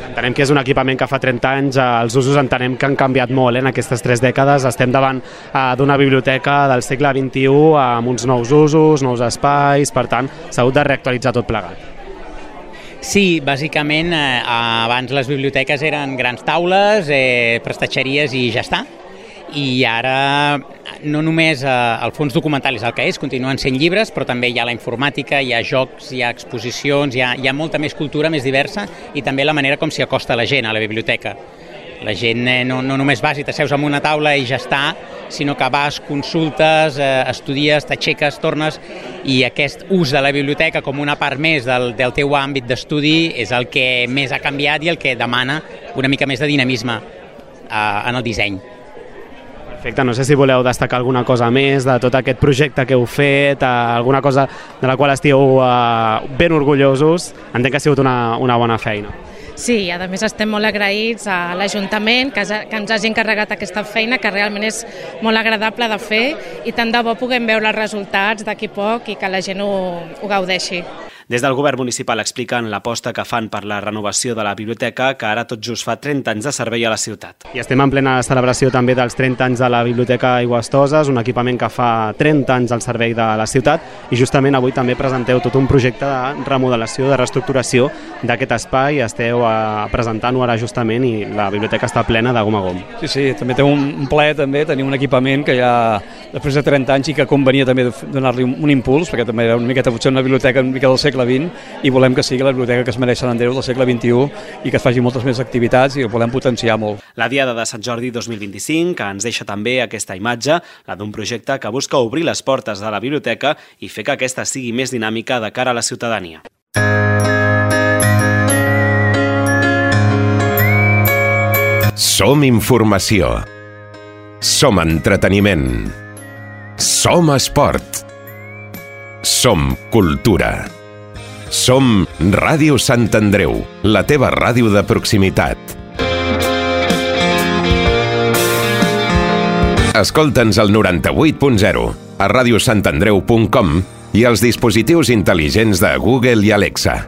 Entenem que és un equipament que fa 30 anys, els usos entenem que han canviat molt en aquestes 3 dècades, estem davant d'una biblioteca del segle XXI amb uns nous usos, nous espais, per tant s'ha hagut de reactualitzar tot plegat. Sí, bàsicament abans les biblioteques eren grans taules, prestatgeries i ja està. I ara no només el fons documental és el que és, continuen sent llibres, però també hi ha la informàtica, hi ha jocs, hi ha exposicions, hi ha molta més cultura, més diversa, i també la manera com s'hi acosta la gent a la biblioteca. La gent no només vas i t'asseus en una taula i ja està, sinó que vas, consultes, estudies, t'aixeques, tornes, i aquest ús de la biblioteca com una part més del teu àmbit d'estudi és el que més ha canviat i el que demana una mica més de dinamisme en el disseny. Perfecte, no sé si voleu destacar alguna cosa més de tot aquest projecte que heu fet, alguna cosa de la qual estigueu ben orgullosos. Entenc que ha sigut una bona feina. Sí, a més estem molt agraïts a l'Ajuntament que ens hagi encarregat aquesta feina, que realment és molt agradable de fer, i tant de bo puguem veure els resultats d'aquí poc i que la gent ho gaudeixi. Des del govern municipal expliquen l'aposta que fan per la renovació de la biblioteca, que ara tot just fa 30 anys de servei a la ciutat. I estem en plena celebració també dels 30 anys de la Biblioteca Aigües-Toses, un equipament que fa 30 anys al servei de la ciutat, i justament avui també presenteu tot un projecte de remodelació, de reestructuració d'aquest espai. Esteu presentant-ho ara justament i la biblioteca està plena de gom a gom. Sí, també té un plaer també tenir un equipament que ja després de 30 anys i que convenia també donar-li un impuls, perquè també era una miqueta potser una biblioteca una mica del segle XX, i volem que sigui la biblioteca que es mereix Sant Andreu del segle XXI i que es faci moltes més activitats i ho volem potenciar molt. La Diada de Sant Jordi 2025, que ens deixa també aquesta imatge, la d'un projecte que busca obrir les portes de la biblioteca i fer que aquesta sigui més dinàmica de cara a la ciutadania. Som informació. Som entreteniment. Som esport. Som cultura. Som Ràdio Sant Andreu, la teva ràdio de proximitat. Escolta'ns al 98.0, a radiosantandreu.com i als dispositius intel·ligents de Google i Alexa.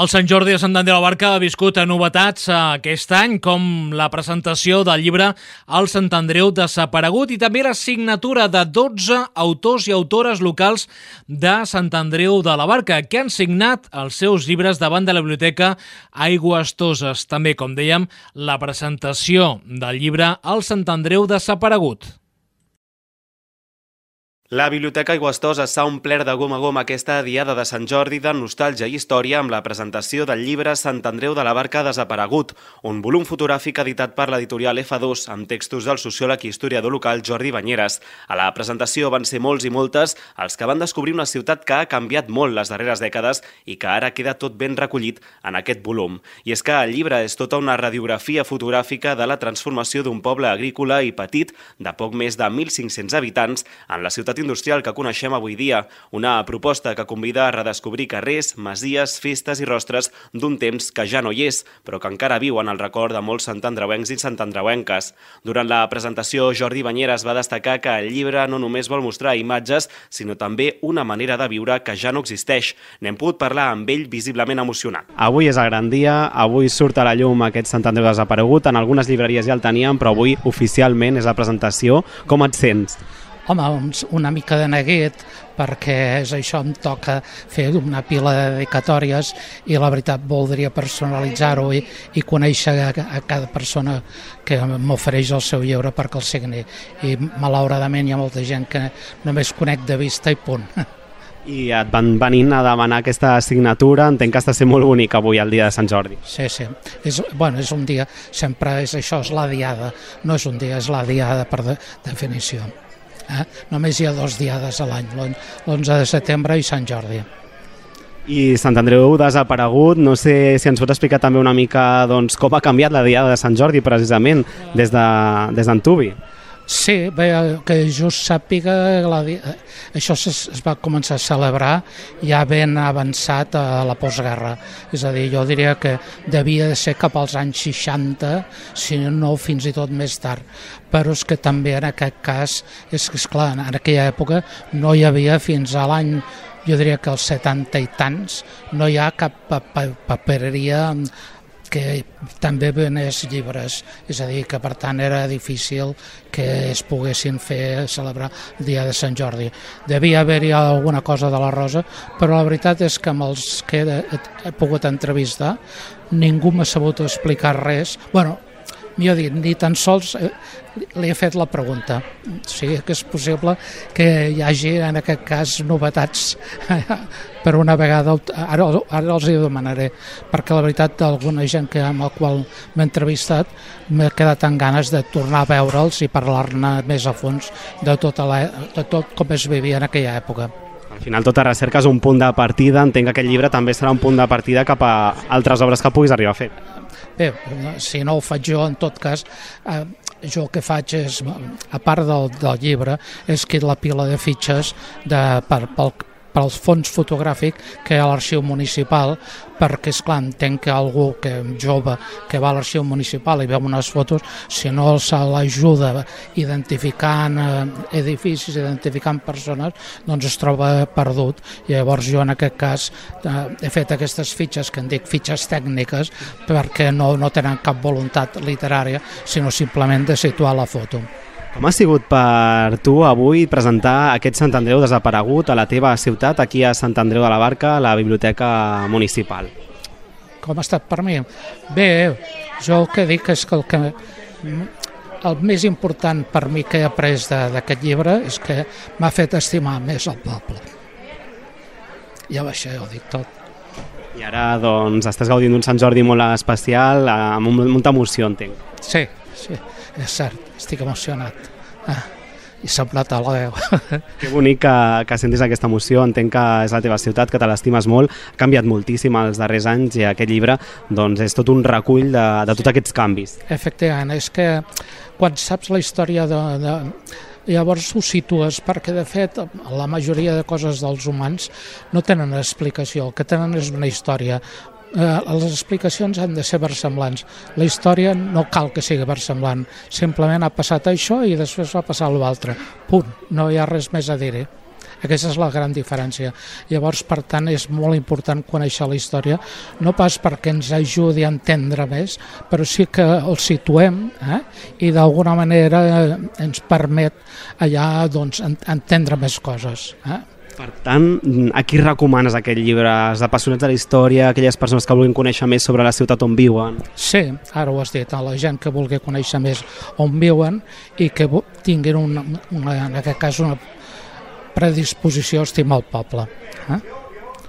El Sant Jordi de Sant Andreu de la Barca ha viscut novetats aquest any, com la presentació del llibre El Sant Andreu desaparegut i també la signatura de 12 autors i autores locals de Sant Andreu de la Barca, que han signat els seus llibres davant de la biblioteca Aigües-Toses. També, com dèiem, la presentació del llibre El Sant Andreu desaparegut. La Biblioteca Aigües-Toses s'ha omplert de gom a gom aquesta Diada de Sant Jordi de nostàlgia i història amb la presentació del llibre Sant Andreu de la Barca desaparegut, un volum fotogràfic editat per l'editorial F2 amb textos del sociòleg i historiador local Jordi Banyeres. A la presentació van ser molts i moltes els que van descobrir una ciutat que ha canviat molt les darreres dècades i que ara queda tot ben recollit en aquest volum. I és que el llibre és tota una radiografia fotogràfica de la transformació d'un poble agrícola i petit de poc més de 1.500 habitants en la ciutat industrial que coneixem avui dia, una proposta que convida a redescobrir carrers, masies, festes i rostres d'un temps que ja no hi és, però que encara viu en el record de molts santandreuencs i santandreuenques. Durant la presentació, Jordi Banyeres va destacar que el llibre no només vol mostrar imatges, sinó també una manera de viure que ja no existeix. N'hem pogut parlar amb ell visiblement emocionat. Avui és el gran dia, avui surt a la llum aquest Sant Andreu desaparegut, en algunes llibreries ja el teníem, però avui oficialment és la presentació. Com et sents? Home, una mica de neguit, perquè és això, em toca fer una pila de dedicatòries i la veritat voldria personalitzar-ho i conèixer a cada persona que m'ofereix el seu llibre perquè el signi. I malauradament hi ha molta gent que només conec de vista i punt. I et van venint a demanar aquesta signatura, entenc que està sent molt bonic avui, el dia de Sant Jordi. Sí. És un dia, sempre és això, és la diada, no és un dia, és la diada per definició. Només hi ha 2 diades a l'any, l'11 de setembre i Sant Jordi. I Sant Andreu desaparegut, no sé si ens pot explicar també una mica doncs, com ha canviat la diada de Sant Jordi precisament des d'Antuvi. Sí, bé, que just sàpiga, això es va començar a celebrar ja ben avançat a la postguerra. És a dir, jo diria que devia de ser cap als anys 60, si no fins i tot més tard. Però és que també en aquest cas, és clar, en aquella època no hi havia fins a l'any, jo diria que als 70 i tants, no hi ha cap papereria que també venés llibres, és a dir, que per tant era difícil que es poguessin celebrar el dia de Sant Jordi. Devia haver-hi alguna cosa de la Rosa, però la veritat és que amb els que he pogut entrevistar ningú m'ha sabut explicar res. Bueno, millor dit, ni tan sols li he fet la pregunta. O sigui que és possible que hi hagi en aquest cas novetats per una vegada, ara els hi demanaré, perquè la veritat d'alguna gent amb la qual m'he entrevistat m'he quedat amb ganes de tornar a veure'ls i parlar-ne més a fons de tot com es vivia en aquella època. Al final tota recerca és un punt de partida, entenc que aquest llibre també serà un punt de partida cap a altres obres que puguis arribar a fer. Bé, si no ho faig jo, en tot cas, jo el que faig és, a part del llibre, és que la pila de fitxes pel fons fotogràfic que hi ha a l'arxiu municipal, perquè, esclar, entenc que algú jove que va a l'arxiu municipal i veu unes fotos, si no se l'ajuda identificant edificis, identificant persones, doncs es troba perdut. I llavors jo en aquest cas he fet aquestes fitxes, que en dic fitxes tècniques, perquè no tenen cap voluntat literària, sinó simplement de situar la foto. Com ha sigut per tu avui presentar aquest Sant Andreu desaparegut a la teva ciutat, aquí a Sant Andreu de la Barca, a la Biblioteca Municipal? Com ha estat per mi? Bé, jo el que dic és que el més important per mi que he après d'aquest llibre és que m'ha fet estimar més el poble. Ja això ho dic tot. I ara doncs estàs gaudint d'un Sant Jordi molt especial, amb molta emoció, entenc. Sí, és cert, estic emocionat. I s'ha plat a la veu. Que bonic que sentis aquesta emoció, entenc que és la teva ciutat, que te l'estimes molt, ha canviat moltíssim els darrers anys i aquest llibre doncs, és tot un recull de tots aquests canvis. Efectivament, és que quan saps la història llavors ho situes, perquè de fet la majoria de coses dels humans no tenen explicació, el que tenen és una història. Les explicacions han de ser versemblants. La història no cal que sigui versemblant, simplement ha passat això i després va passar l'altre. Punt, no hi ha res més a dir-hi. Aquesta és la gran diferència. Llavors, per tant, és molt important conèixer la història, no pas perquè ens ajudi a entendre més, però sí que el situem i d'alguna manera ens permet allà doncs, entendre més coses. Per tant, a qui recomanes aquest llibre? Els apassionats de la història, aquelles persones que vulguin conèixer més sobre la ciutat on viuen? Sí, ara ho has dit, a la gent que vulgui conèixer més on viuen i que tinguin en aquest cas una predisposició a estimar el poble.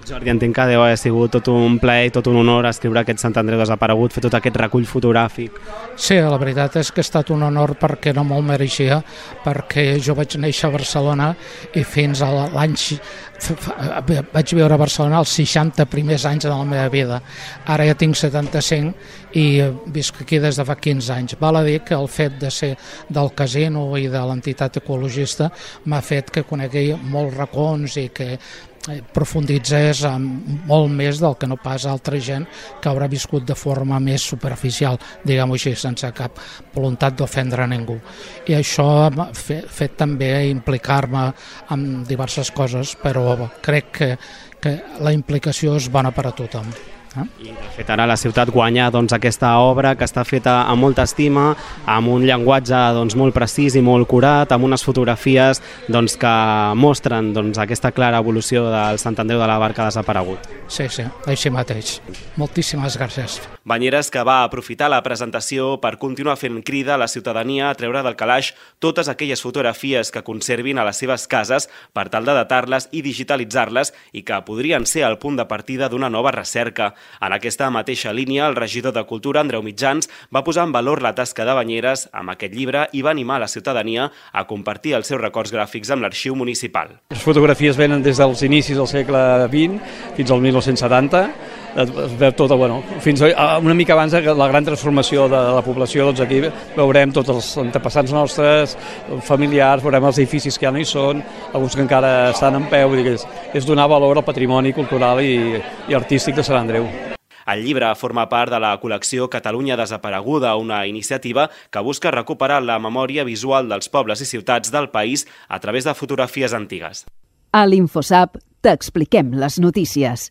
Jordi, entenc que deu haver sigut tot un plaer i tot un honor escriure aquest Sant Andreu desaparegut, fer tot aquest recull fotogràfic. Sí, la veritat és que ha estat un honor perquè no me'l mereixia, perquè jo vaig néixer a Barcelona i fins a l'any vaig viure a Barcelona els 60 primers anys de la meva vida. Ara ja tinc 75 i visc aquí des de fa 15 anys. Val a dir que el fet de ser del casino i de l'entitat ecologista m'ha fet que conegui molts racons i que profunditzés molt més del que no pas altra gent que haurà viscut de forma més superficial, diguem-ho així, sense cap voluntat d'ofendre a ningú. I això m'ha fet també implicar-me en diverses coses, però crec que la implicació és bona per a tothom. I de fet ara la ciutat guanya aquesta obra que està feta amb molta estima, amb un llenguatge molt precís i molt curat, amb unes fotografies que mostren aquesta clara evolució del Sant Andreu de la Barca desaparegut. Sí, així mateix. Moltíssimes gràcies. Banyeres que va aprofitar la presentació per continuar fent crida a la ciutadania a treure del calaix totes aquelles fotografies que conservin a les seves cases per tal de datar-les i digitalitzar-les i que podrien ser el punt de partida d'una nova recerca. En aquesta mateixa línia, el regidor de Cultura, Andreu Mitjans, va posar en valor la tasca de Banyeres amb aquest llibre i va animar la ciutadania a compartir els seus records gràfics amb l'arxiu municipal. Les fotografies venen des dels inicis del segle XX fins al 1970, es veu tot, fins una mica abans de la gran transformació de la població, aquí veurem tots els antepassats nostres, familiars, veurem els edificis que ja no hi són, alguns que encara estan en peu, és donar valor al patrimoni cultural i artístic de Sant Andreu. El llibre forma part de la col·lecció Catalunya Desapareguda, una iniciativa que busca recuperar la memòria visual dels pobles i ciutats del país a través de fotografies antigues. A l'InfoSap t'expliquem les notícies.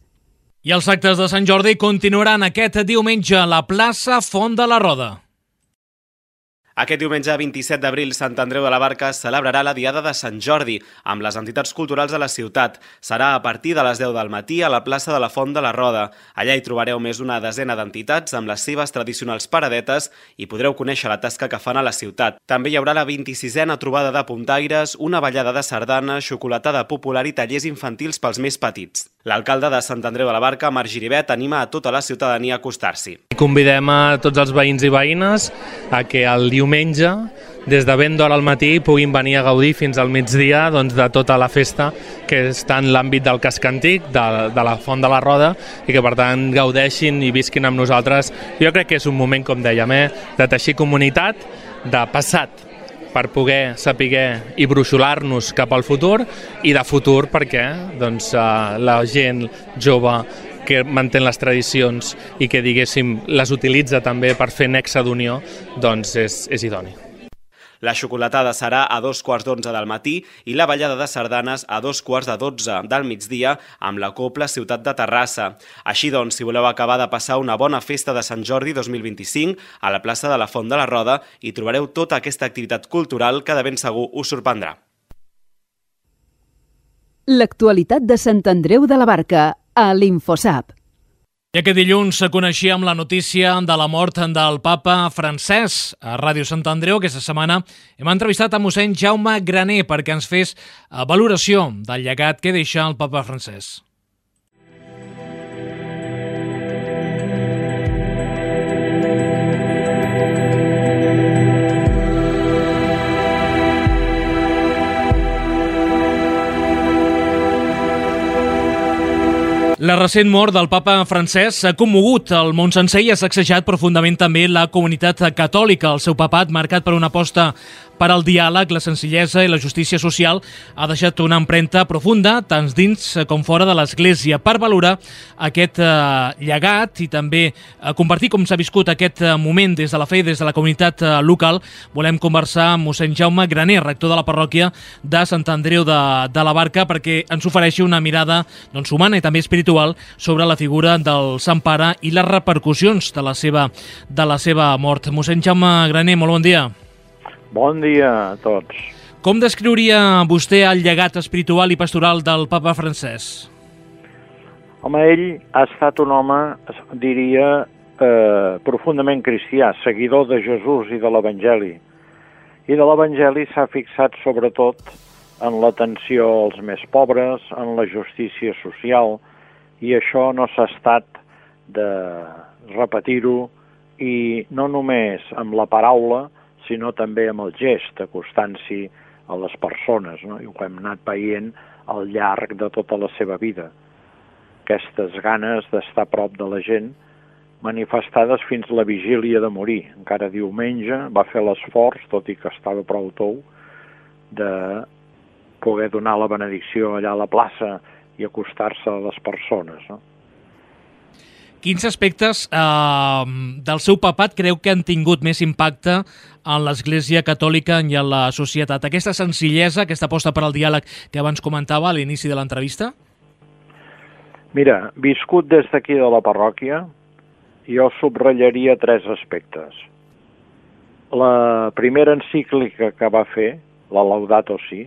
I els actes de Sant Jordi continuaran aquest diumenge a la plaça Font de la Roda. Aquest diumenge 27 d'abril, Sant Andreu de la Barca celebrarà la Diada de Sant Jordi amb les entitats culturals de la ciutat. Serà a partir de les 10 del matí a la plaça de la Font de la Roda. Allà hi trobareu més d'una desena d'entitats amb les seves tradicionals paradetes i podreu conèixer la tasca que fan a la ciutat. També hi haurà la 26a trobada de puntaires, una ballada de sardana, xocolatada popular i tallers infantils pels més petits. L'alcalde de Sant Andreu de la Barca, Marc Giribet, anima a tota la ciutadania a acostar-s'hi. Convidem a tots els veïns i veïnes a que el diumenge, des de ben d'hora al matí, puguin venir a gaudir fins al migdia de tota la festa que està en l'àmbit del casc antic, de la Font de la Roda, i que per tant gaudeixin i visquin amb nosaltres. Jo crec que és un moment, com dèiem, de teixir comunitat, de passat, per poder saber i bruixolar-nos cap al futur, i de futur perquè la gent jove que manté les tradicions i que, diguéssim, les utilitza també per fer nexe d'unió, és idoni. La xocolatada serà a 11:15 del matí i la ballada de sardanes a 11:45 del migdia amb la Copla Ciutat de Terrassa. Així doncs, si voleu acabar de passar una bona festa de Sant Jordi 2025, a la plaça de la Font de la Roda hi trobareu tota aquesta activitat cultural que de ben segur us sorprendrà. L'actualitat de Sant Andreu de la Barca a l'InfoSap. I aquest dilluns coneixíem la notícia de la mort del papa Francesc. A Ràdio Sant Andreu aquesta setmana hem entrevistat a mossèn Jaume Graner perquè ens fes valoració del llegat que deixa el papa Francesc. La recent mort del papa Francesc ha commogut el món sencer i ha sacsejat profundament també la comunitat catòlica. El seu papat, marcat per una aposta per al diàleg, la senzillesa i la justícia social, ha deixat una empremta profunda tant dins com fora de l'Església. Per valorar aquest llegat i també compartir com s'ha viscut aquest moment des de la fe i des de la comunitat local, volem conversar amb mossèn Jaume Graner, rector de la parròquia de Sant Andreu de la Barca, perquè ens ofereixi una mirada humana i també espiritual sobre la figura del Sant Pare i les repercussions de la seva mort. Mossèn Jaume Graner, molt bon dia. Bon dia a tots. Com descriuria vostè el llegat espiritual i pastoral del papa Francesc? Home, ell ha estat un home, diria, profundament cristià, seguidor de Jesús i de l'Evangeli. I de l'Evangeli s'ha fixat sobretot en l'atenció als més pobres, en la justícia social, i això no s'ha estat de repetir-ho, i no només amb la paraula, sinó també amb el gest, acostant-s'hi a les persones, no? I ho hem anat veient al llarg de tota la seva vida. Aquestes ganes d'estar a prop de la gent, manifestades fins la vigília de morir. Encara diumenge va fer l'esforç, tot i que estava prou tou, de poder donar la benedicció allà a la plaça i acostar-se a les persones, no? Quins aspectes del seu papat creu que han tingut més impacte en l'Església Catòlica i en la societat? Aquesta senzillesa, aquesta aposta per al diàleg que abans comentava a l'inici de l'entrevista? Mira, viscut des d'aquí de la parròquia, jo subratllaria 3 aspectes. La primera encíclica que va fer, la Laudato Si,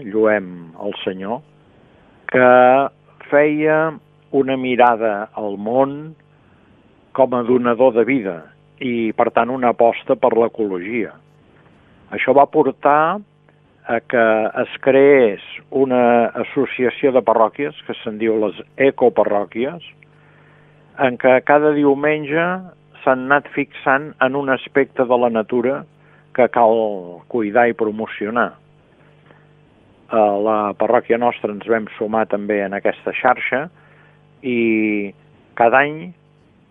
lluem el Senyor, que feia una mirada al món com a donador de vida i, per tant, una aposta per l'ecologia. Això va portar a que es creés una associació de parròquies, que se'n diu les ecoparròquies, en què cada diumenge s'han anat fixant en un aspecte de la natura que cal cuidar i promocionar. A la parròquia nostra ens vam sumar també en aquesta xarxa i cada any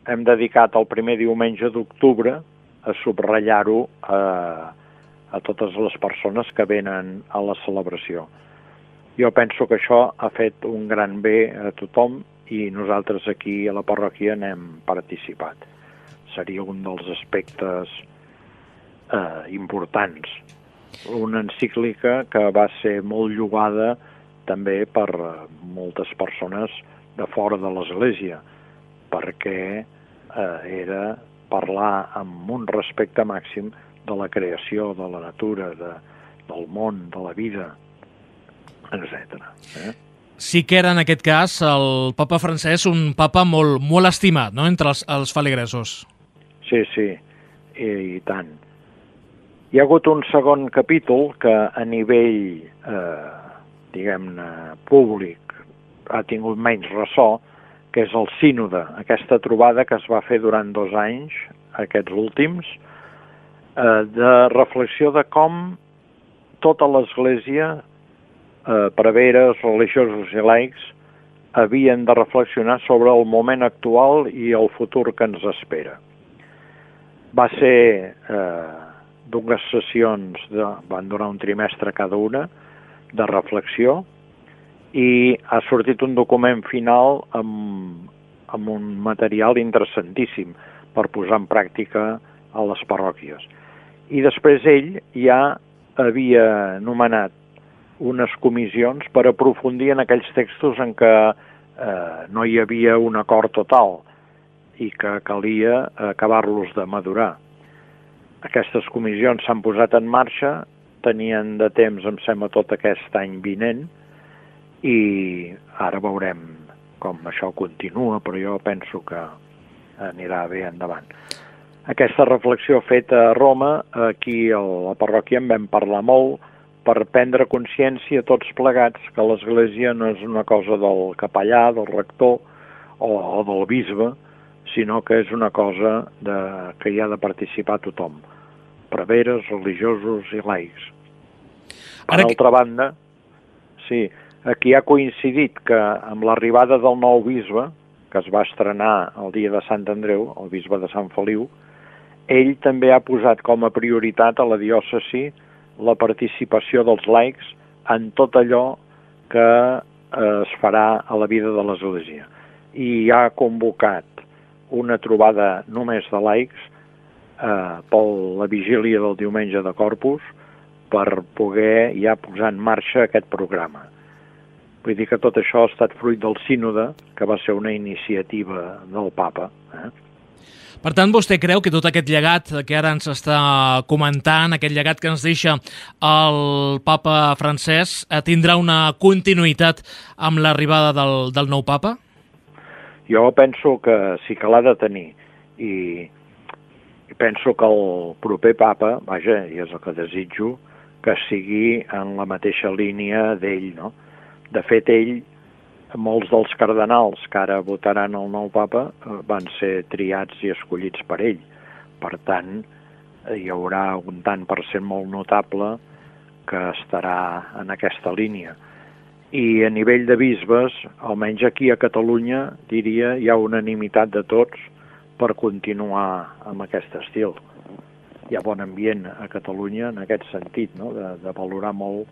hem dedicat el primer diumenge d'octubre a subratllar-ho a totes les persones que venen a la celebració. Jo penso que això ha fet un gran bé a tothom i nosaltres aquí a la parròquia n'hem participat. Seria un dels aspectes importants. Una encíclica que va ser molt llogada també per moltes persones de fora de l'Església, perquè era parlar amb un respecte màxim de la creació, de la natura, del món, de la vida, etc. Sí que era, en aquest cas, el papa Francesc, un papa molt estimat, no?, entre els feligresos. Sí, i tant. Hi ha hagut un segon capítol que a nivell, diguem-ne, públic ha tingut menys ressò, que és el sínode, aquesta trobada que es va fer durant 2 anys, aquests últims, de reflexió de com tota l'Església, preveres, religiosos i laics, havien de reflexionar sobre el moment actual i el futur que ens espera. Va ser dues sessions, van durar un trimestre cada una, de reflexió, i ha sortit un document final amb un material interessantíssim per posar en pràctica a les parròquies. I després ell ja havia nomenat unes comissions per aprofundir en aquells textos en què no hi havia un acord total i que calia acabar-los de madurar. Aquestes comissions s'han posat en marxa, tenien de temps, em sembla, tot aquest any vinent, i ara veurem com això continua, però jo penso que anirà bé endavant. Aquesta reflexió feta a Roma, aquí a la parròquia en vam parlar molt, per prendre consciència tots plegats que l'Església no és una cosa del capellà, del rector o del bisbe, sinó que és una cosa que hi ha de participar tothom, preveres, religiosos i laics. Per altra banda, sí, aquí ha coincidit que amb l'arribada del nou bisbe, que es va estrenar el dia de Sant Andreu, el bisbe de Sant Feliu, ell també ha posat com a prioritat a la diòcesi la participació dels laics en tot allò que es farà a la vida de l'Església. I ha convocat una trobada només de laics per la vigília del diumenge de Corpus per poder ja posar en marxa aquest programa. Vull dir que tot això ha estat fruit del sínode, que va ser una iniciativa del papa. Per tant, vostè creu que tot aquest llegat que ara ens està comentant, aquest llegat que ens deixa el papa Francesc, tindrà una continuïtat amb l'arribada del nou papa? Jo penso que sí que l'ha de tenir, i penso que el proper papa, vaja, i és el que desitjo, que sigui en la mateixa línia d'ell, no? De fet, ell, molts dels cardenals que ara votaran el nou papa van ser triats i escollits per ell. Per tant, hi haurà un tant per cent molt notable que estarà en aquesta línia. I a nivell de bisbes, almenys aquí a Catalunya, diria, hi ha unanimitat de tots per continuar amb aquest estil. Hi ha bon ambient a Catalunya en aquest sentit, no? De valorar molt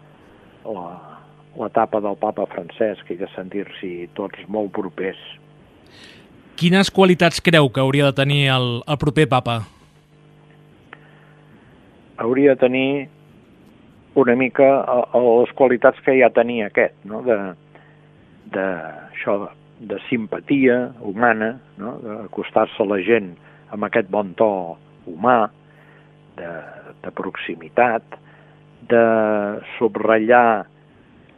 l'etapa del papa Francesc i de sentir-s'hi tots molt propers. Quines qualitats creu que hauria de tenir el proper papa? Hauria de tenir una mica les qualitats que ja tenia aquest, no? de simpatia humana, no? D'acostar-se a la gent amb aquest bon to humà, de proximitat, de subratllar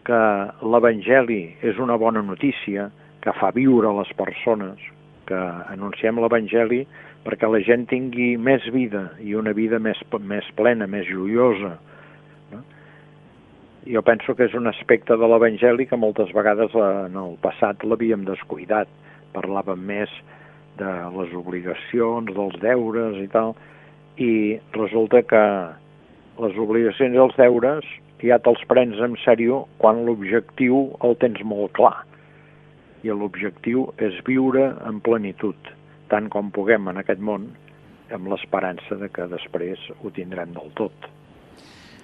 que l'Evangeli és una bona notícia, que fa viure les persones, que anunciem l'Evangeli perquè la gent tingui més vida i una vida més plena, més joiosa. No? Jo penso que és un aspecte de l'Evangeli que moltes vegades en el passat l'havíem descuidat. Parlàvem més de les obligacions, dels deures i tal, i resulta que les obligacions i els deures ja te'ls prens en sèrio quan l'objectiu el tens molt clar. I l'objectiu és viure en plenitud, tant com puguem en aquest món, amb l'esperança de que després ho tindrem del tot.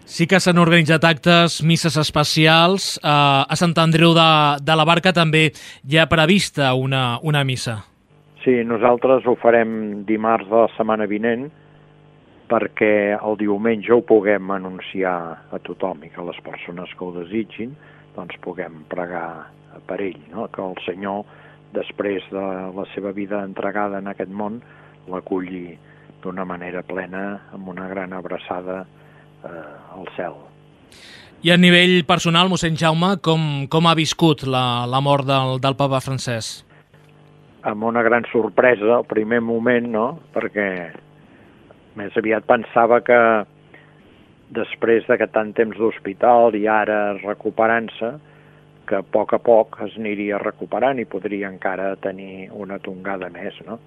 Sí que s'han organitzat actes, misses especials. A Sant Andreu de la Barca també hi ha prevista una missa. Sí, nosaltres ho farem dimarts de la setmana vinent perquè el diumenge ho puguem anunciar a tothom i que les persones que ho desitgin doncs puguem pregar per ell, no? Que el Senyor, després de la seva vida entregada en aquest món, l'aculli d'una manera plena, amb una gran abraçada al cel. I a nivell personal, mossèn Jaume, com ha viscut la mort del papa Francesc? Amb una gran sorpresa, al primer moment, no? Perquè més aviat pensava que després d'aquest tant temps d'hospital i ara recuperant-se, que a poc es aniria recuperant i podria encara tenir una tongada més, no?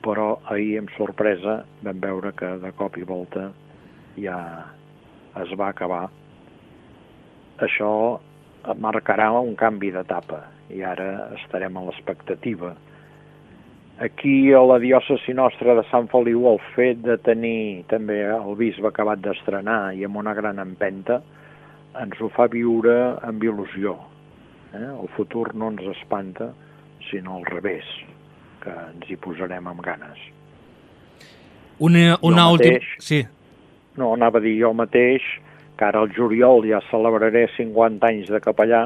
Però ahir, amb sorpresa, vam veure que de cop i volta ja es va acabar. Això marcarà un canvi d'etapa i ara estarem a l'expectativa. Aquí a la diòcesi nostra de Sant Feliu el fet de tenir també el bisbe acabat d'estrenar i amb una gran empenta ens ho fa viure amb il·lusió. El futur no ens espanta, sinó al revés, que ens hi posarem amb ganes. Una última... Sí. No, anava a dir jo mateix que ara al juliol ja celebraré 50 anys de capellà,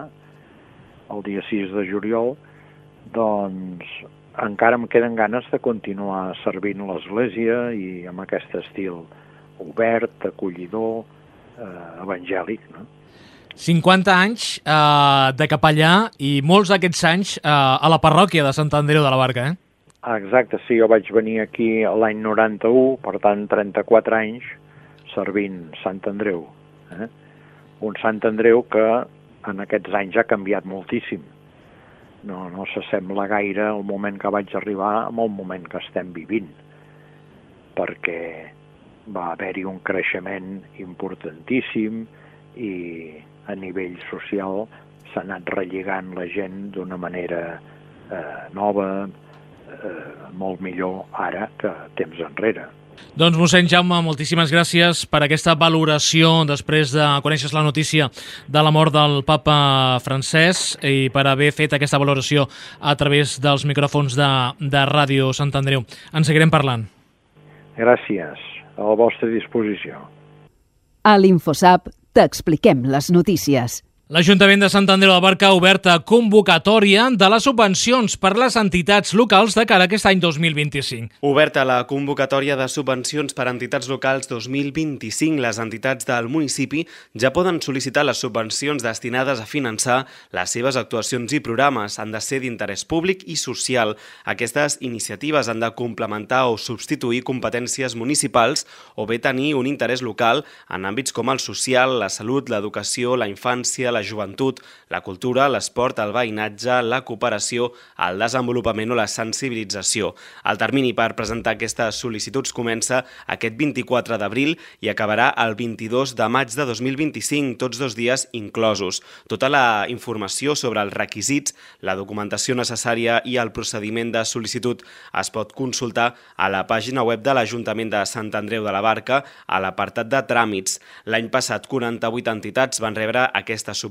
el dia 6 de juliol, doncs encara em queden ganes de continuar servint l'Església i amb aquest estil obert, acollidor, evangèlic, no? 50 anys de capellà i molts d'aquests anys a la parròquia de Sant Andreu de la Barca, Exacte, sí, jo vaig venir aquí l'any 91, per tant 34 anys servint Sant Andreu. Un Sant Andreu que en aquests anys ha canviat moltíssim. No s'assembla gaire el moment que vaig arribar amb el moment que estem vivint, perquè va haver-hi un creixement importantíssim i a nivell social s'ha anat relligant la gent d'una manera nova, molt millor ara que temps enrere. Doncs, mossèn Jaume, moltíssimes gràcies per aquesta valoració després de conèixer la notícia de la mort del papa Francesc i per haver fet aquesta valoració a través dels micròfons de Ràdio Sant Andreu. En seguirem parlant. Gràcies. A la vostra disposició. A l'InfoSap t'expliquem les notícies. L'Ajuntament de Sant Andreu de la Barca ha obert convocatòria de les subvencions per les entitats locals de cara a aquest any 2025. Oberta la convocatòria de subvencions per a entitats locals 2025, les entitats del municipi ja poden sol·licitar les subvencions destinades a finançar les seves actuacions i programes. Han de ser d'interès públic i social. Aquestes iniciatives han de complementar o substituir competències municipals o bé tenir un interès local en àmbits com el social, la salut, l'educació, la infància, la joventut, la cultura, l'esport, el veïnatge, la cooperació, el desenvolupament o la sensibilització. El termini per presentar aquestes sol·licituds comença aquest 24 d'abril i acabarà el 22 de maig de 2025, tots 2 dies inclosos. Tota la informació sobre els requisits, la documentació necessària i el procediment de sol·licitud es pot consultar a la pàgina web de l'Ajuntament de Sant Andreu de la Barca a l'apartat de tràmits. L'any passat 48 entitats van rebre aquesta subvenció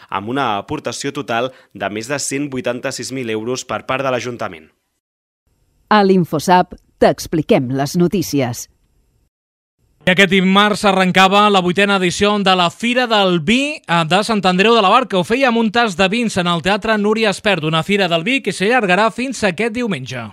amb una aportació total de més de 186.000 euros per part de l'Ajuntament. A l'InfoSap t'expliquem les notícies. I aquest dimarts arrencava la 8a edició de la Fira del Vi de Sant Andreu de la Barca. Ho feia amb un tast de vins en el Teatre Núria Espert, una Fira del Vi que s'allargarà fins aquest diumenge.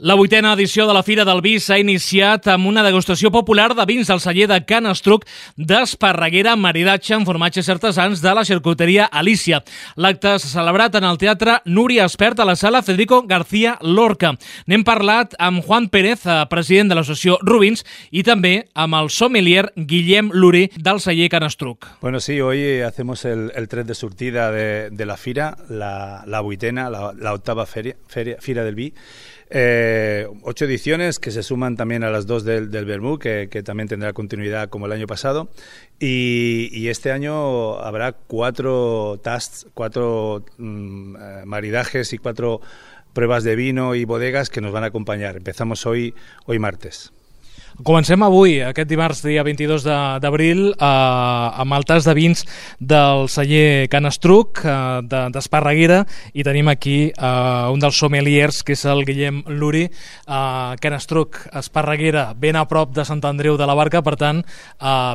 La 8a edició de la Fira del Vi s'ha iniciat amb una degustació popular de vins del celler de Can Estruc d'Esparreguera, maridatge amb formatges artesans de la xarcuteria Alícia. L'acte s'ha celebrat en el Teatre Núria Espert a la sala Federico García Lorca. N'hem parlat amb Juan Pérez, president de l'associació Rubins, i també amb el sommelier Guillem Luri del celler Can Estruc. Bueno, sí, hoy hacemos el tret de sortida de la Fira, la 8a, la octava Fira del Vi. 8 ediciones que se suman también a las 2 del Vermú, que también tendrá continuidad como el año pasado, y este año habrá 4 tasts, 4 maridajes y 4 pruebas de vino y bodegas que nos van a acompañar. Empezamos hoy martes. Comencem avui, aquest dimarts, dia 22 d'abril, amb el tast de vins del celler Can Estruc, d'Esparreguera, i tenim aquí un dels sommeliers, que és el Guillem Luri. Can Estruc, Esparreguera, ben a prop de Sant Andreu de la Barca, per tant,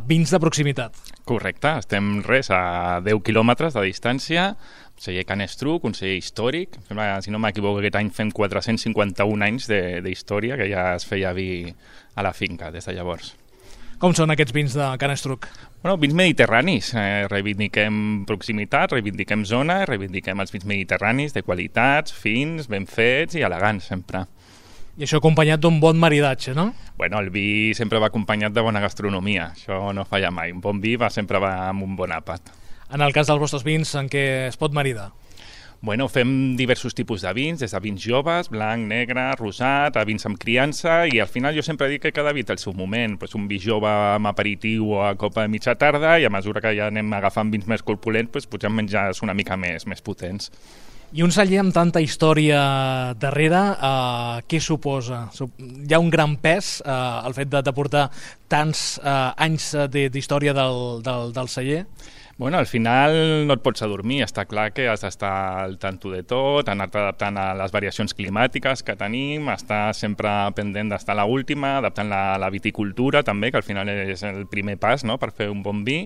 vins de proximitat. Correcte, estem a 10 quilòmetres de distància. Celler Can Estruc, un celler històric. Si no m'equivoco, aquest any fem 451 anys d'història, que ja es feia vi a la finca des de llavors. Com són aquests vins de Can Estruc? Bueno, vins mediterranis. Reivindiquem proximitat, reivindiquem zona, reivindiquem els vins mediterranis de qualitats, fins, ben fets i elegants, sempre. I això acompanyat d'un bon maridatge, no? Bueno, el vi sempre va acompanyat de bona gastronomia. Això no falla mai. Un bon vi sempre va amb un bon àpat. En el cas dels vostres vins, en què es pot maridar? Bueno, fem diversos tipus de vins, des de vins joves, blanc, negre, rosat, a vins amb criança, i al final jo sempre dic que cada vi té el seu moment. Pues un vi jove amb aperitiu o a copa de mitja tarda, i a mesura que ja anem agafant vins més corpulents, pues potser menjars una mica més potents. I un celler amb tanta història darrere, què suposa? Hi ha un gran pes el fet de portar tants anys d'història del celler? Bueno, al final no et pots adormir, està clar que has d'estar al tanto de tot, anar-te adaptant a les variacions climàtiques que tenim, estar sempre pendent d'estar a l'última, adaptant la viticultura també, que al final és el primer pas, no?, per fer un bon vi,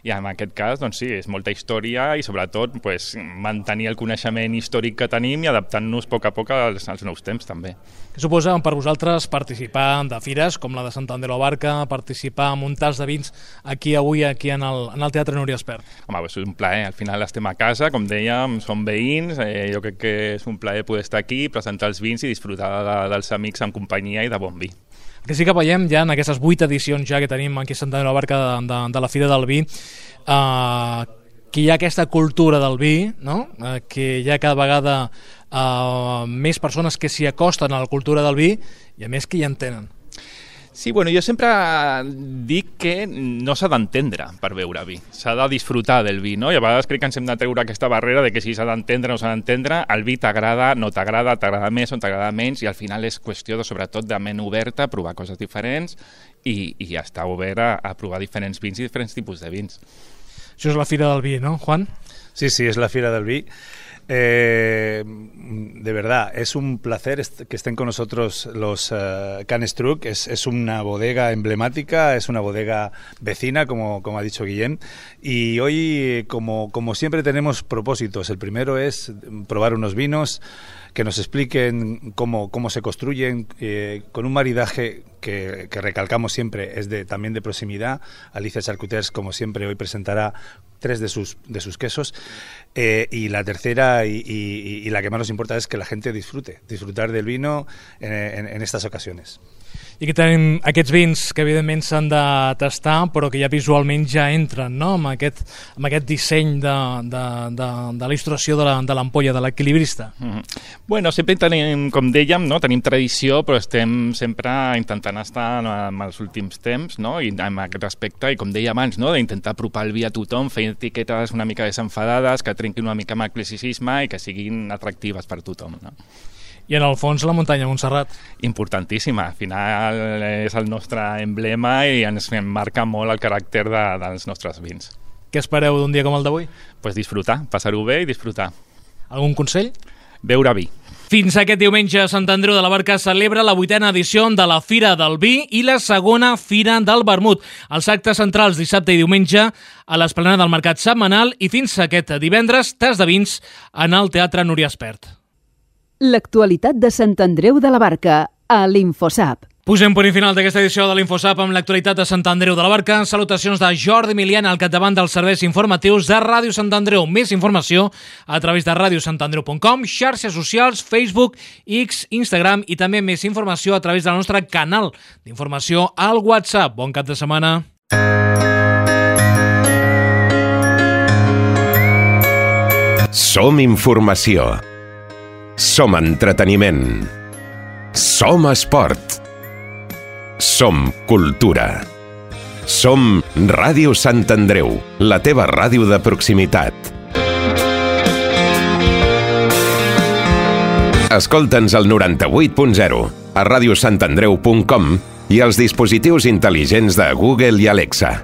i en aquest cas, doncs sí, és molta història i sobretot pues, mantenir el coneixement històric que tenim i adaptant-nos a poc als nous temps també. Què suposa per vosaltres participar de fires com la de Sant Andreu de la Barca, participar en un tast de vins avui en el Teatre Núria Espert? Home, és un plaer, al final estem a casa, com dèiem, som veïns, jo crec que és un plaer poder estar aquí, presentar els vins i disfrutar dels amics en companyia i de bon vi. Que sí que veiem ja en aquestes 8 edicions ja que tenim aquí a Sant Andreu de la Barca de la Fira del Vi, que hi ha aquesta cultura del vi, no? Que hi ha cada vegada més persones que s'hi acosten a la cultura del vi i a més que hi entenen. Sí, bueno, jo sempre dic que no s'ha d'entendre per beure vi, s'ha de disfrutar del vi, no? I a vegades crec que ens hem de treure aquesta barrera de que si s'ha d'entendre o no s'ha d'entendre, el vi t'agrada, no t'agrada, t'agrada més o t'agrada menys, i al final és qüestió sobretot de ment oberta, provar coses diferents i estar obert a provar diferents vins i diferents tipus de vins. Això és la Fira del Vi, ¿no, Juan? Sí, es la Fira del Vi. De verdad, es un placer que estén con nosotros los Can Estruc. Es una bodega emblemática, es una bodega vecina, como ha dicho Guillem, y hoy, como siempre, tenemos propósitos. El primero es probar unos vinos, que nos expliquen cómo se construyen, con un maridaje que recalcamos siempre es también de proximidad. Alicia Charcuters, como siempre, hoy presentará 3 de sus quesos, y la tercera y la que más nos importa es que la gente disfrutar del vino en estas ocasiones. I que tenim aquests vins que evidentment s'han de tastar però que ja visualment ja entren, no?, amb aquest disseny de l'il·lustració de l'ampolla, de l'equilibrista. Bueno, sempre tenim, com dèiem, no? Tenim tradició, però estem sempre intentant estar en els últims temps, no?, i amb aquest aspecte, i com deia abans, no?, d'intentar apropar el vi a tothom, fer etiquetes una mica desenfadades, que trenquin una mica amb el classicisme i que siguin atractives per tothom, no? I en el fons la muntanya Montserrat. Importantíssima, al final és el nostre emblema i ens marca molt el caràcter dels nostres vins. Què espereu d'un dia com el d'avui? Pues disfrutar, passar-ho bé i disfrutar. Algun consell? beure vi. Fins aquest diumenge, Sant Andreu de la Barca celebra la 8a edició de la Fira del Vi i la segona Fira del Vermut. Els actes centrals dissabte i diumenge a l'esplanada del Mercat Setmanal i fins aquest divendres, tas de vins en el Teatre Núria Espert. L'actualitat de Sant Andreu de la Barca a l'Infosap. Posem punt i final d'aquesta edició de l'Infosap amb l'actualitat de Sant Andreu de la Barca. Salutacions de Jordi Miliana al capdavant dels serveis informatius de Ràdio Sant Andreu. Més informació a través de radiosantandreu.com, xarxes socials, Facebook, X, Instagram i també més informació a través del nostre canal d'informació al WhatsApp. Bon cap de setmana. Som informació. Som entreteniment. Som esport. Som cultura. Som Ràdio Sant Andreu, la teva ràdio de proximitat. Escolta'ns al 98.0, a radiosantandreu.com i als dispositius intel·ligents de Google i Alexa.